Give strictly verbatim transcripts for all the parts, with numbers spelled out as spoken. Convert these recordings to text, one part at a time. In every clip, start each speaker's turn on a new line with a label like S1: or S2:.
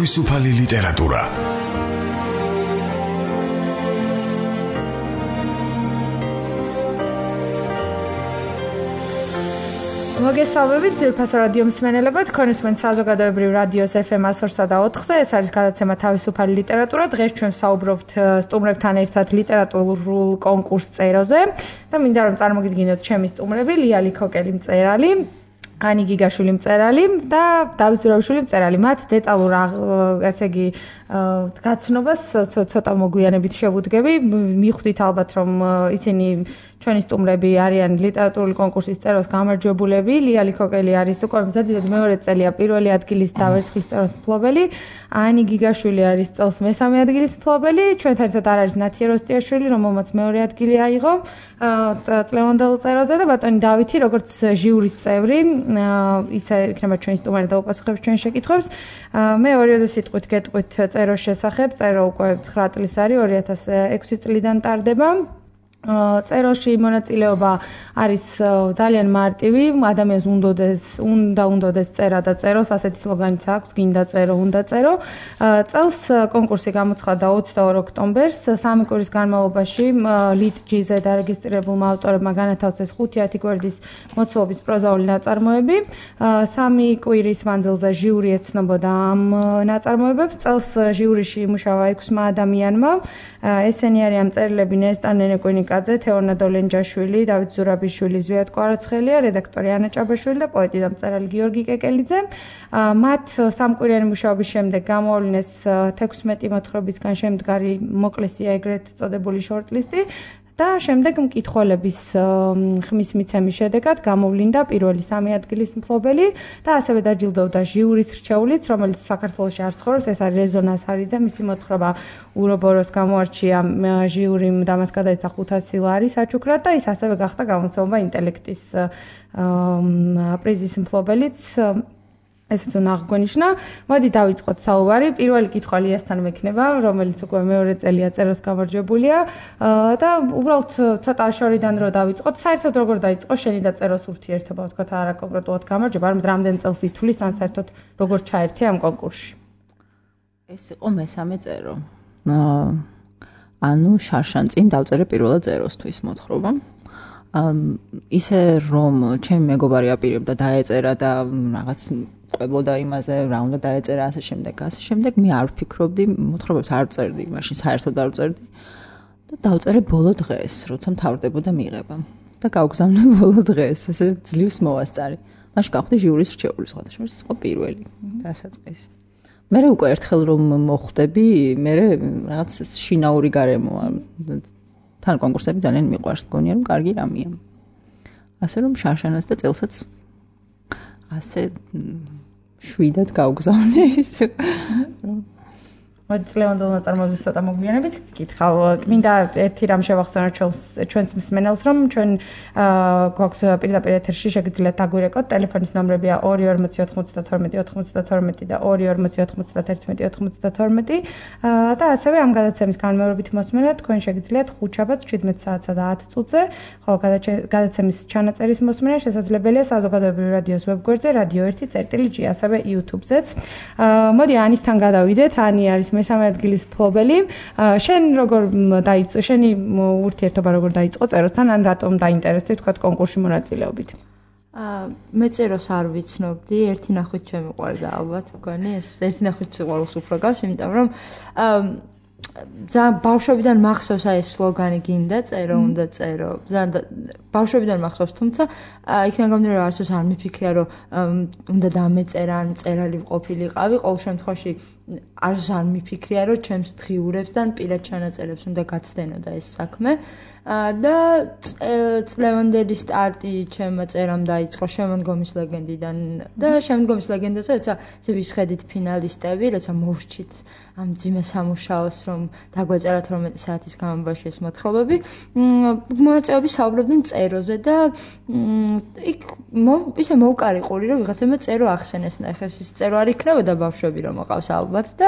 S1: თავისუფალი ლიტერატურა.
S2: მოგესალმებით ძვირფასო რადიო მსმენელებო, თქვენ უსმენთ საზოგადოებრივ რადიოს ეფ ემ სто ოთხზე. ეს არის გადაცემა თავისუფალი ლიტერატურა. დღეს ჩვენ ვსაუბრობთ სტუმრებთან ერთად ლიტერატურულ კონკურს წეროზე და მინდა რომ წარმოგიდგინოთ ჩემი სტუმრები: ლია ლიქოკელი მწერალი, ანი გიგაშვილი მწერალი და დავით ზურაბიშვილი მწერალი. მათ დეტალურ ესე იგი გაცნობას ცოტა მოგვიანებით შევუდგები. მიხვდით ალბათ რომ ისინი ჩვენი სტუმრები არიან ლიტერატურული კონკურსის წეროს გამარჯვებულები. ლია ლიქოკელი არის უკვე მზადად მეორე წელია პირველი ადგილის და ვერცხლის წეროს მფლობელი. ანი გიგაშვილი არის წელს მესამე ადგილის მფლობელი. ჩვენთან ერთად არ არის ნათია როსტიაშვილი, რომელმაც მეორე ადგილი აიღო წლევანდელ წეროზე და ბატონი დავითი, როგორც ჟიურის წევრი, ისე იქნება ჩვენი სტუმარი და უპასუხებს ჩვენ შეკითხვებს. მე ორიოდე სიტყვით გეტყვით წეროს შესახებ. წერო უკვე ცხრა წლის არის, ორი ათას ექვსი წლიდან ტარდება. წეროში მონაწილეობა არის ძალიან მარტივი, ადამიანს უნდოდეს, უნდა უნდოდეს წერა და წეროს, ასეთი სლოგანიც აქვს, გინდა წერო, უნდა წერო. წელს კონკურსი გამოცხადდა ოცდაორ ოქტომბერს, სამი კვირის განმავლობაში ლიტჯიზე დარეგისტრირებულმა ავტორებმა განათავსეს ხუთი ათი გვერდის მოცულობის პროზაული ნაწარმოები. სამი კვირის მანძილზე ჟიური ეცნობოდა ამ ნაწარმოებებს. წელს ჟიურიში იმუშავა ექვსმა ადამიანმა. ესენი არიან მწერლები ნესტან ნენეკვინიკა, თეორ ნადოლენჯაშვილი, დავით ზურაბიშვილი, ზვიად კვარაცხელია, რედაქტორი ანა ჭაბაშვილი და პოეტი და მწერალი გიორგი კეკელიძე. მათ სამკვირიანი მუშაობის შემდეგ გამოავლინეს თექვსმეტი მოთხრობისგან შემდგარი მოკლესია ეგრეთ წოდებული შორტლისტი და შემდეგ მკითხველების ხმის მიცემის შედეგად გამოვლინდა პირველი სამი ადგილის მფლობელი და ასევე დაჯილდოვდა ჟიურის რჩეულით, რომელიც საქართველოში არ ცხოვრობს. ეს არის რეზონა სარიძე, მისი მოთხრობა ურობოროს გამოარჩია ჟიურიმ და მას გადაეცა ხუთასი ლარი საჩუქრად და ის ასევე გახდა გამოცემობა ინტელექტის პრიზის მფლობელიც. ესეც უნდა აღგვენიშნა. მოდი დავიწყოთ საუბარი. პირველი კითხვა ლიასთან მექნება, რომელიც უკვე მეორე წელია წეროს გამარჯვებულია და უბრალოდ ცოტა შორიდან რო დავიწყოთ. საერთოდ როგორ დაიწყო შენი და წეროს ურთიერთობა, ვთქვათ, არა კონკრეტულად გამარჯვება, არამედ რამდენ წელს ითვლის, ან საერთოდ როგორ ჩაერთე ამ კონკურსში?
S3: ეს იყო მესამე წერო. ანუ შარშან წინ დავწერე პირველად წეროსთვის მოთხრობა. ისე რომ ჩემი მეგობარი აპირებდა დაეწერა და რაღაც ყვებოდა იმაზე, რა უნდა დაეწერა, ასე შემდეგ, ასე შემდეგ. მე არ ვფიქრობდი, მოთხრობებს არ ვწერდი, მაშინ საერთოდ არ ვწერდი და დავწერე ბოლო დღეს, როცა მთავრდებოდა მიღება და გავგზავნე ბოლო დღეს, ესე ძლივს მოვასწარი. მაშინ გავხდი ჟიურის რჩეული, სხვადასხვა ეს იყო პირველი დასაწყისი. მე უკვე ერთხელ რომ მოხვდები, მე რაღაც შინაური გარემოა. თან კონკურსები ძალიან მიყვარს, მგონია რომ კარგი რამეა. ასე რომ შარშანას და წელსაც ასე შვიდად გავგზავნე ისე. მოდი წლევანდელ ნაწარმოებებს ცოტა მოგვიანებით გკითხავ. მინდა ერთი რამ შევახსენოთ ჩვენს მსმენელს, რომ ჩვენ გვაქვს პირდაპირ ეთერში შეგიძლიათ დაგვირეკოთ. ტელეფონის ნომრებია ორი ორმოცი ოთხმოცდათორმეტი ოთხმოცდათორმეტი და ორი ორმოცი ოთხმოცდათერთმეტი ოთხმოცდათორმეტი და ასევე ამ გადაცემის განმეორებით მოსმენა თქვენ შეგიძლიათ ხუთშაბათს შვიდმეტ საათსა და ათ წუთზე, ხოლო გადაცემის ჩანაწერის მოსმენა შესაძლებელია საზოგადოებრივ რადიოს ვებგვერდზე რადიო ერთი წერტილი ჯი, ასევე YouTube-ზეც. მოდი ანისთან გადავიდეთ. ანი არის მესამე ადგილის მფლობელი. შენ როგორ დაიწყო, შენი ურთიერთობა როგორ დაიწყო წეროსთან, ან რატომ დაინტერესდი თქვა კონკურსში მონაწილეობით?
S4: აა მე წეროს არ ვიცნობდი, ერთი ნახვით შემიყვარდა ალბათ მგონი, ეს ერთი ნახვით სიყვარულს უფრო გავს, იმიტომ რომ აა ძალიან ბავშვობიდან მახსოვს აი ეს სლოგანი გინდა წერო, უნდა წერო. ძალიან ბავშვობიდან მახსოვს, თუმცა იქიდან გამომდინარე რომ არც არ მიფიქრია რომ უნდა დამეწერა, ან მწერალი ყოფილიყავი, ყოველ შემთხვევაში არც არ მიფიქრია რომ ჩემს დღიურებს და პირად ჩანაწერებს უნდა გაცდენოდა ეს საქმე. და წლევანდელი სტარტი ჩემმა წერამ დაიწყო შემოდგომის ლეგენდიდან და შემოდგომის ლეგენდაზე როცა ვისხედით ფინალისტები, როცა მოვრჩით ამ ძიმე სამუშაოს, რომ დაგვეწერათ რომეტი საათის განმავლობაში ეს მოთხრობები, მონაწილეები საუბრობდნენ წეროზე და იქ ისე მოვკარიყური რომ ვიღაცებმა წერო ახსენეს, ნახე ეს წერო არ იქნებოდა ბავშვები რომ მოყავს ალბათ და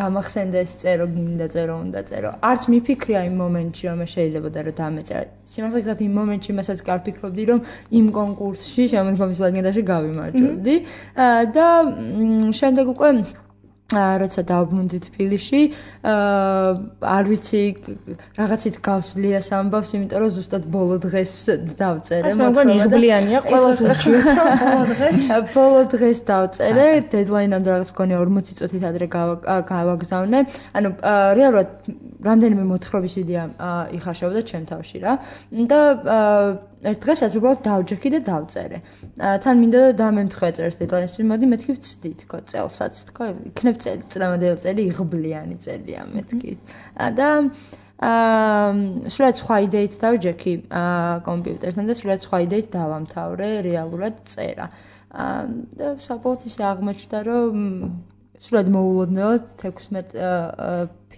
S4: გამახსენდა ეს წერო, გინდა წერო, უნდა წერო. არც მიფიქრია იმ მომენტში რომ შეიძლება და რომ დამეწერა. სიმართლე გითხრათ იმ მომენტში მასაც კი არ ფიქრობდი რომ იმ კონკურსში შემოდგომის ლეგენდაში გავიმარჯვებდი და შემდეგ უკვე როცა დავბრუნდით თბილისში, არ ვიცი რაღაცით გავს ლიას ამბავს, იმიტომ რომ ზუსტად ბოლო დღეს დავწერე.
S2: მე მგონი იუბილეანია, ყველას ურჩიოთ ბოლო დღეს.
S4: ბოლო დღეს დავწერე, დედლაინამდე რაღაც მგონი ორმოცი წუთით ადრე გავაგზავნე. ანუ რეალურად რამდენიმე მოთხრობის იდეა იხარშებოდა ჩემ თავში რა. და ერთ დღესაც უბრალოდ დავჯექი და დავწერე. თან მინდა და დამემთხვა წერს დედლაინისთვის, მოდი მეთქი ვწდით, თქო, წელსაც, თქო, იქნებ წელი, წლევანდელი წელი იღბლიანი წელია მეთქი. და აა სულად სხვა იდეით დავჯექი კომპიუტერთან და სულად სხვა იდეით დავამთავრე რეალურად წერა. და საბოლოოდ ისე აღმოჩნდა, რომ სულად მოულოდნელად თექვსმეტ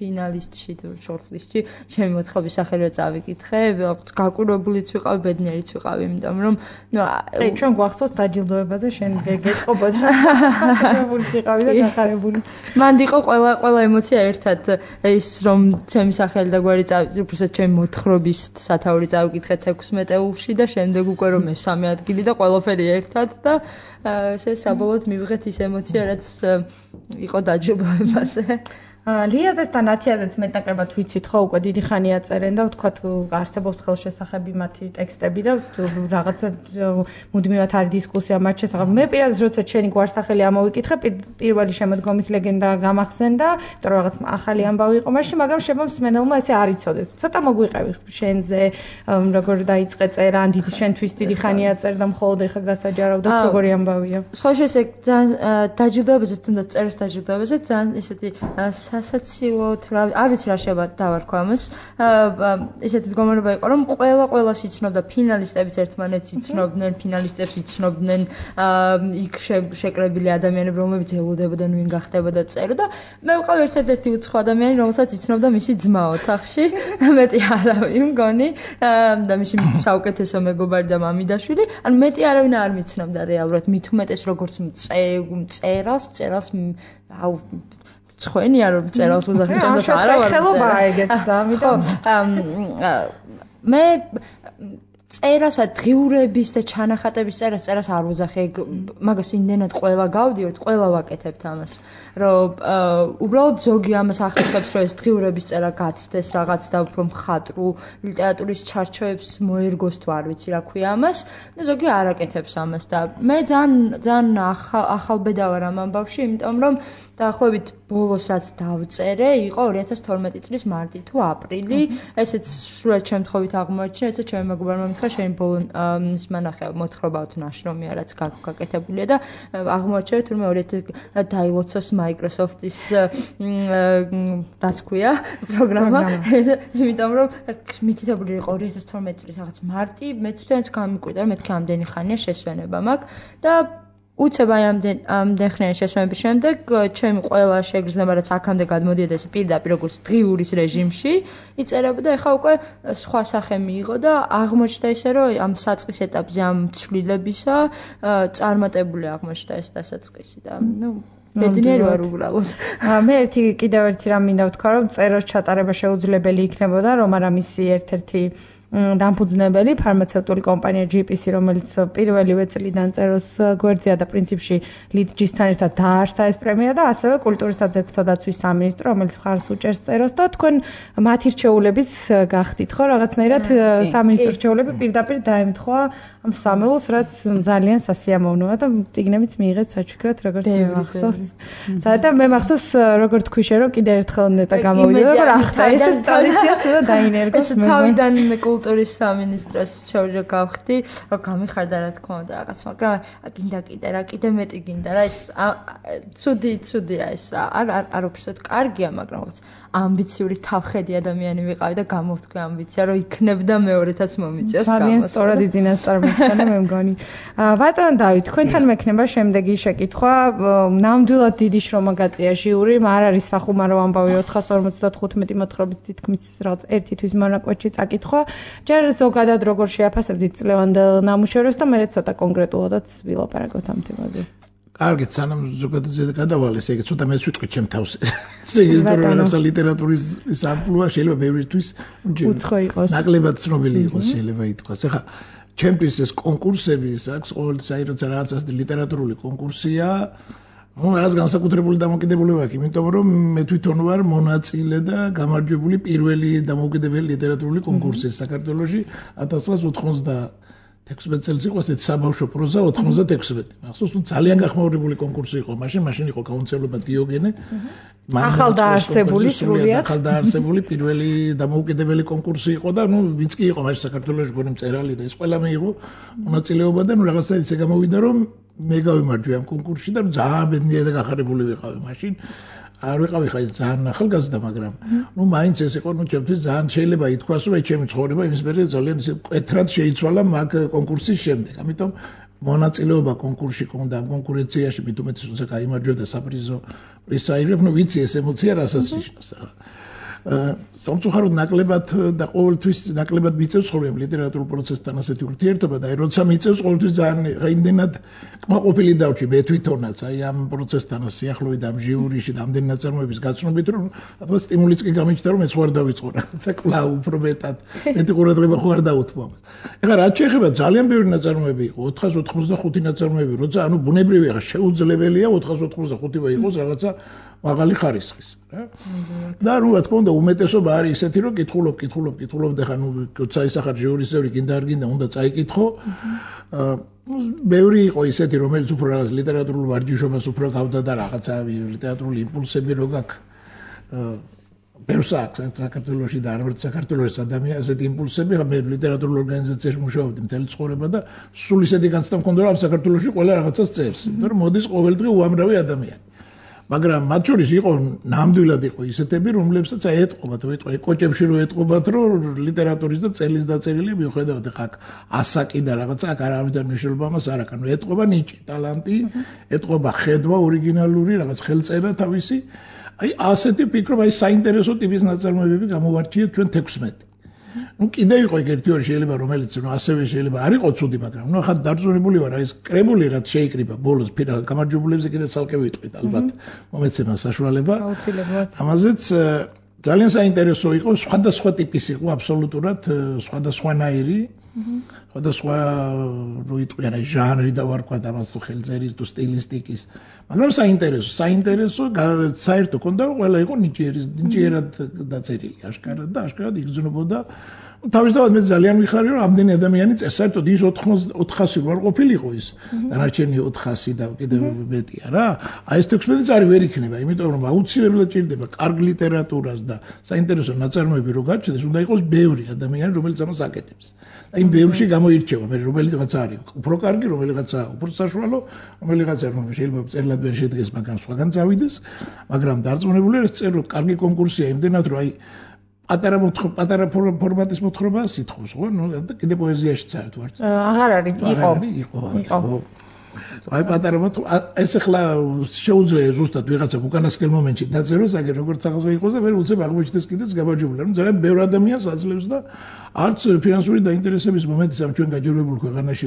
S4: ფინალისტში თუ შორტლისტში ჩემი მოთხრობის სახელი წავიკითხე, გაკვირვებულიც ვიყავი, ბედნიერიც ვიყავი, იმიტომ რომ ნუ
S2: აი ჩვენ გვახსოვს დაჯილდოებაზე შენ გეტყობოდა გაკვირვებულიც ვიყავი და გახარებული.
S4: მანდ იყო ყველა ყველა ემოცია ერთად ის რომ ჩემი სახელი და გვარი წავიკითხე, უბრალოდ ჩემი მოთხრობის სათაური წავიკითხე თექვსმეტეულში და შემდეგ უკვე რომ მესამე ადგილი და ყველაფერი ერთად და ესე საბოლოოდ მივიღეთ ის ემოცია, რაც იყო დაჯილდოებაზე.
S2: ლიაზესთან ათიაზეც მეტნაკლებად ვიცით ხო უკვე დიდი ხანია წერენ და ვთქვათ არსებობს ხელშესახები მათი ტექსტები და რაღაცა მუდმივად არის დისკუსია მათ შესახებ. მე პირადად როცა ჩენი გვარსახელი ამოვიკითხე, პირველი შემოდგომის ლეგენდა გამახსენდა, იმიტომ რომ რაღაც ახალი ამბავი იყო მაშინ, მაგრამ შემომსმენელმა ესე არ იცოდეს. ცოტა მოგვიყევი შენზე, როგორ დაიწყე წერა, ან დიდი შენთვის დიდი ხანია წერდა, მხოლოდ ეხა გასაჯარავდათ, როგორი ამბავია.
S4: სხვა შესე ძალიან დაჯილდოებაზე თუნდაც წერის დაჯილდოებაზე ძალიან ისეთი სასაცილოდ არ ვიცი რა შეიძლება დავარქვა ამას. ესეთი მდგომარეობა იყო, რომ ყველა ყველას იცნობდა, ფინალისტებიც ერთმანეთს იცნობდნენ, ფინალისტებს იცნობდნენ, იქ შეკრებილი ადამიანები, რომლებიც ელოდებოდნენ ვინ გახდებოდა წერო და მე ვიყავ ერთ-ერთი უცხო ადამიანი, რომელსაც იცნობდა მისი ძმა ოთახში, მეტი არავინ მგონი და მისი საუკეთესო მეგობარი და მამიდაშვილი, ანუ მეტი არავინ არ მიცნობდა რეალურად, მით უმეტეს როგორც წერალს, წერალს აუ ცხენია რომ წერალს უზახი ჩემს არა ვარ
S2: ხელობა ეგეც და ამიტომ
S4: მე წერასა დღიურების და ჩანახატების წერას წერას არ უზახე მაგას იმდენად ყველა გავდივართ ყველა ვაკეთებთ ამას რომ უბრალოდ ზოგი ამას ახერხებს რომ ეს დღიურების წერა გაცდეს რაღაც და უფრო მხატვრულ ლიტერატურის ჩარჩოებს მოერგოს თუ არ ვიცი რა ქვია ამას და ზოგი არ აკეთებს ამას და მე ძალიან ძალიან ახალბედა ვარ ამ ამბავში იმიტომ რომ დაახლოებით ბოლოს რაც დავწერე იყო ორი ათას თორმეტი წლის მარტი თუ აპრილი ესეც სრულად შემთხვევით აღმოაჩინა ეცა ჩემი მეგობარმა მითხრა შენ ბოლო მანახე მოთხრობა თუ ნაშრომია რაც გაკეთებულია და აღმოაჩინა თურმე ორი ათი დაილოცოს Microsoft-ის რაც ქვია პროგრამა იმიტომ რომ მითითებული იყო ორი ათას თორმეტი წლის რაღაც მარტი მეც თვითონაც გამიკვირდა რომ მეთქი ამდენი ხანია შესვენება მაქვს და უცებ აი ამდენ ხნიანი შესვენების შემდეგ ჩემი ყველა შეგრძნება რაც აქამდე გადმოდიოდა ეს პირდაპირ როგორც დღიურის რეჟიმში იწერებოდა ეხა უკვე სხვა სახე მიიღო და აღმოჩნდა ისე რომ ამ საწყის ეტაპზე ამ ცვლილებისა წარმატებული აღმოჩნდა ეს დასაწყისი და ნუ ბედნიერი ვარ უბრალოდ.
S2: მე ერთი კიდევ ერთი რამ მინდა ვთქვა რომ წეროს ჩატარება შეუძლებელი იქნებოდა რომ არა მისი ერთ-ერთი დამფუძნებელი ფარმაცევტული კომპანია ჯი პი სი რომელიც პირველივე წლიდან წეროს გვერდზეა და პრინციპში ლიდჯისთან ერთად დაარსა ეს პრემია და ასევე კულტურისა და ძეგლთა დაცვის სამინისტრო რომელიც მხარს უჭერს წეროს და თქვენ მათი რჩეულების გახდით ხო რაღაცნაირად სამინისტრო რჩეულები პირდაპირ დაემთხვა ამ სამეულს რაც ძალიან სასიამოვნოა და წიგნებიც მიიღეთ საჩუქრად როგორც მახსოვს. საერთოდ მე მახსოვს როგორ თქვი შე რომ კიდე ერთხელ ნეტა გამოვიდა და ახლა ეს ტრადიციაც უნდა დაინერგოს
S4: მე. თავიდან კულტურის სამინისტროს ჩავრჯა გავხდი, რომ გამიხარდა რა თქმა უნდა რაღაც, მაგრამ გინდა კიდე რა, კიდე მეტი გინდა რა, ეს ცუდი, ცუდია ეს რა. არ არ არ უბრალოდ კარგია, მაგრამ რაღაც ამბიციური თავხედი ადამიანი ვიყავი და გამოვთქვი ამბიცია, რომ იქნებდა მეორეთაც მომიწიოს გამოს.
S2: ძალიან სწორად იძინას წარმოიქმნა მე მგონი. ბატონ დავით, თქვენთან მექნება შემდეგი შეკითხვა. ნამდვილად დიდი შრომა გაწია ჟიური, არ არის სახუმარო ამბავი ოთხას ორმოცდათხუთმეტი მოთხრობის თითქმის რაღაც ერთი თვის მონაკვეთში წაკითხვა. ჯერ ზოგადად როგორ შეაფასებდით წლევანდელ ნამუშევრებს და მე ცოტა კონკრეტულადაც ვილაპარაკოთ ამ თემაზე.
S1: კარგით, სანამ ზოგადად გადავალეს, ეგ ცოტა მეც ვიტყვი ჩემ თავს. ესე იგი, რომ რაღაცა ლიტერატურის სამყაროა შეიძლება ბევრისთვის
S2: უცხო იყოს.
S1: ნაკლებად ცნობილი იყოს შეიძლება ითქვას. ეხლა ჩემთვის ეს კონკურსები, აქვს ყოველთვის აი როცა რაღაცა ლიტერატურული კონკურსია, ნუ რაღაც განსაკუთრებული დამოკიდებულება აქვს, იმიტომ რომ მე თვითონ ვარ მონაწილე და გამარჯვებული პირველი დამოუკიდებელი ლიტერატურული კონკურსის საქართველოში ათას ცხრაასი ოცდაათი წელს იყო ესეთი საბავშვო პროზა ოცდაათი. მახსოვს თუ ძალიან გახმაურებული კონკურსი იყო, მაშინ მაშინ იყო გაუნცელობა დიოგენე.
S2: ახალდაარსებული სრულიად.
S1: ახალდაარსებული პირველი დამოუკიდებელი კონკურსი იყო და ნუ ვინც კი იყო მაშინ საქართველოში გონი მწერალი და ეს ყველა მიიღო მონაწილეობა და ნუ რაღაცა ისე გამოვიდა რომ მე გავიმარჯვე ამ კონკურსში და ძალიან ბედნიერი და გახარებული ვიყავი მაშინ. არ ვიყავი ხა ის ძალიან ახალგაზრდა, მაგრამ ნუ მაინც ეს იყო ნუ ჩემთვის ძალიან შეიძლება ითქვას რომ ჩემი ცხოვრება იმის მერე ძალიან ისე მკვეთრად შეიცვალა მაგ კონკურსის შემდეგ. ამიტომ მონაწილეობა კონკურსში კონდა კონკურენციაში მით უმეტეს როცა გაიმარჯვე და საპრიზო პრიზს აიღებ, ნუ ვიცი ეს ემოცია რასაც ნიშნავს ახლა. სამწუხაროდ ნაკლებად და ყოველთვის ნაკლებად მიწევს ხოლმე ლიტერატურულ პროცესთან ასეთი ურთიერთობა და აი როცა მიწევს ყოველთვის ძალიან იმდენად კმაყოფილი დავჭი მე თვითონაც აი ამ პროცესთან სიახლოვე და ამ ჟიურიში და ამდენი ნაწარმოების გაცნობით რომ თქვა სტიმულიც კი გამიჩნდა რომ ეს ვარ დავიწყო რაღაცა კვლავ უფრო მეტად მეტი ყურადღება ხო არ დაუთმო ამას. ეხლა რაც შეეხება ძალიან ბევრი ნაწარმოები იყო ოთხას ოთხმოცდახუთი ნაწარმოები როცა ანუ ბუნებრივია ხა შეუძლებელია ოთხას ოთხმოცდახუთი იყოს რაღაცა მაღალი ხარისხის რა. და ნუ რა თქმა უნდა უმეტესობა არის ისეთი რომ კითხულობ, კითხულობ, კითხულობ და ხა ნუ როცა ისახარ ჟიურის წევრი გინდა არ გინდა უნდა წაიკითხო. აა ბევრი იყო ისეთი რომელიც უფრო რაღაც ლიტერატურულ ვარჯიშობას უფრო გავდა და რაღაცა ლიტერატურული იმპულსები რო გაქვს. აა ბევრს აქვს საქართველოში და არ ვარ საქართველოს ადამიანი ასეთი იმპულსები, ხა მე ლიტერატურულ ორგანიზაციაში მუშაობდი მთელი ცხოვრება და სულ ისეთი განცდა მქონდა რომ საქართველოში ყველა რაღაცას წერს. იმიტომ რომ მოდის ყოველდღე უამრავი ადამიანი. მაგრამ მათ შორის იყო ნამდვილად იყო ისეთები, რომლებსაც აი ეტყობათ, ვიტყვი, კოჭებში რო ეტყობათ, რომ ლიტერატურის და წელის დაწერილი მიუხედავად ხა ასაკი და რაღაცა აქ არავითარ მნიშვნელობა მას არ აქვს. ანუ ეტყობა ნიჭი, ტალანტი, ეტყობა ხედვა ორიგინალური, რაღაც ხელწერა თავისი. აი ასეთი ფიქრობ, აი საინტერესო ტიპის ნაწარმოებები გამოვარჩიეთ ჩვენ თექვსმეტი. ნუ კიდე იყო ერთი ორი შეიძლება რომელიც ნუ ასევე შეიძლება არ იყო ცუდი, მაგრამ ნუ ახლა დარწმუნებული ვარ აი ეს კრებული რაც შეიკრიბა ბოლოს ფინალ გამარჯვებულებზე კიდე ცალკე ვიტყვით ალბათ მომეცემა საშუალება.
S2: აუცილებლად.
S1: ამაზეც ძალიან საინტერესო იყო, სხვადასხვა ტიპის იყო აბსოლუტურად სხვადასხვანაირი. სხვადასხვა რო იტყვიან აი ჟანრი და ვარქვა და მას თუ ხელწერის თუ სტილისტიკის. მაგრამ საინტერესო, საინტერესო საერთო კონდა რომ ყველა იყო ნიჭიერის, ნიჭიერად დაწერილი აშკარად და აშკარად იგრძნობოდა. თავისთავად მე ძალიან ვიხარი რომ ამდენი ადამიანი წერს, საერთოდ ის ოთხასი ვარ ყოფილიყო ის. დანარჩენი ოთხასი და კიდევ მეტია რა. აი ეს თექვსმეტი წარი ვერ იქნება, იმიტომ რომ აუცილებლად ჭირდება კარგ ლიტერატურას და საინტერესო ნაწარმოები რო გაჩნდეს, უნდა იყოს ბევრი ადამიანი რომელიც ამას აკეთებს. აი ბევრში გამოირჩევა მე რომელიღაც არის უფრო კარგი, რომელიღაცა უფრო საშუალო, რომელიღაცა შეიძლება წერილად ვერ შედგეს, მაგრამ სხვაგან წავიდეს, მაგრამ დარწმუნებული ვარ ეს წერილ კარგი კონკურსია იმდენად რომ აი პატარა მოთხრობა, პატარა ფორმატის მოთხრობა სიტყვის, ხო? ნუ კიდე პოეზიაშიც არის თუ არ?
S2: აღარ არის, იყო.
S1: იყო. აი პატარა მოთხრობა, ეს ახლა შეუძლია ზუსტად ვიღაცა უკანასკნელ მომენტში დაწეროს, აგერ როგორც აღზე იყოს და მე უცებ აღმოჩნდეს კიდეც გამარჯვებული. ანუ ძალიან ბევრ ადამიანს აძლევს და არც ფინანსური დაინტერესების მომენტის ამ ჩვენ გაჯერებულ ქვეყანაში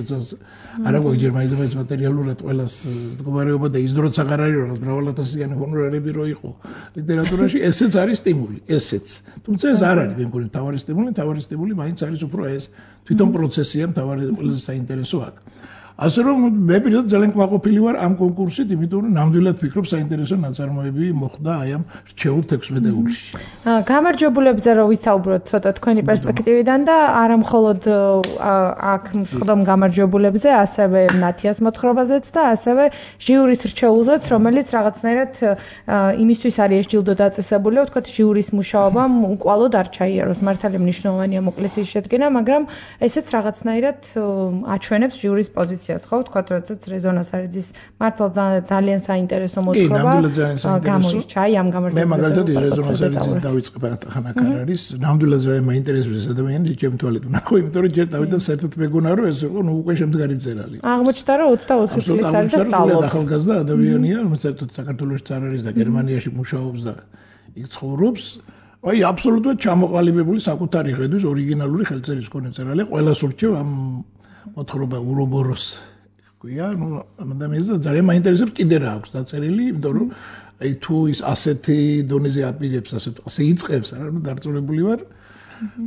S1: არა გვაქვს ჯერ მაინც მატერიალურად ყველას მდგომარეობა და ის დროც აღარ არის რომ მრავალათასიანი ჰონორარები რო იყო ლიტერატურაში, ესეც არის სტიმული, ესეც. თუმცა ეს არ არის მე მგონი მთავარი სტიმული, მთავარი სტიმული მაინც არის უფრო ეს თვითონ პროცესია, მთავარი ყველაზე საინტერესო აქ. ასე რომ მე პირადად ძალიან კმაყოფილი ვარ ამ კონკურსით, იმიტომ რომ ნამდვილად ვფიქრობ საინტერესო ნაწარმოები მოხდა აი ამ რჩეულ თექვსმეტეულში.
S2: გამარჯვებულებზე რო ვისაუბროთ ცოტა თქვენი პერსპექტივიდან და არა მხოლოდ აქ მსხდომ გამარჯვებულებზე, ასევე ნათიას მოთხრობაზეც და ასევე ჟიურის რჩეულზეც, რომელიც რაღაცნაირად იმისთვის არის ეს ჯილდო დაწესებული, ვთქვათ ჟიურის მუშაობამ უკვალოდ არ ჩაიაროს. მართალია მნიშვნელოვანია მოკლეს ის შედგენა, მაგრამ ესეც რაღაცნაირად აჩვენებს ჟიურის პოზიციას. ხო, თქვათ, როდესაც რეზონას არიძის მართლა ძალიან საინტერესო მოთხრობა გამორჩა აი ამ გამარჯვებულზე.
S1: მე მაგალითად რეზონას არიძის დავიწყება ხანაკარ არის, ნამდვილად ძალიან მაინტერესებს ადამიანი ჩემ თვალით ვნახო, იმიტომ რომ ჯერ დავით და საერთოდ მეგონა რომ ეს იყო ნუ უკვე შემდგარი მწერალი.
S2: აღმოჩნდა რომ ოცდაოთხი წლის არის და სწავლობს.
S1: ახალგაზრდა ადამიანია, რომელიც საერთოდ საქართველოში არ არის და გერმანიაში მუშაობს და იქ ცხოვრობს. აი აბსოლუტურად ჩამოყალიბებული საკუთარი ხედვის ორიგინალური ხელწერის მქონე მწერალი, ყველას ურჩევ ამ მოთხრობა ურობოროს ქვია, ნუ ადამიანს ძალიან მაინტერესებს კიდე რა აქვს დაწერილი, იმიტომ რომ აი თუ ის ასეთი დონეზე აპირებს, ასე ასე იწყებს, რა, ნუ დარწმუნებული ვარ,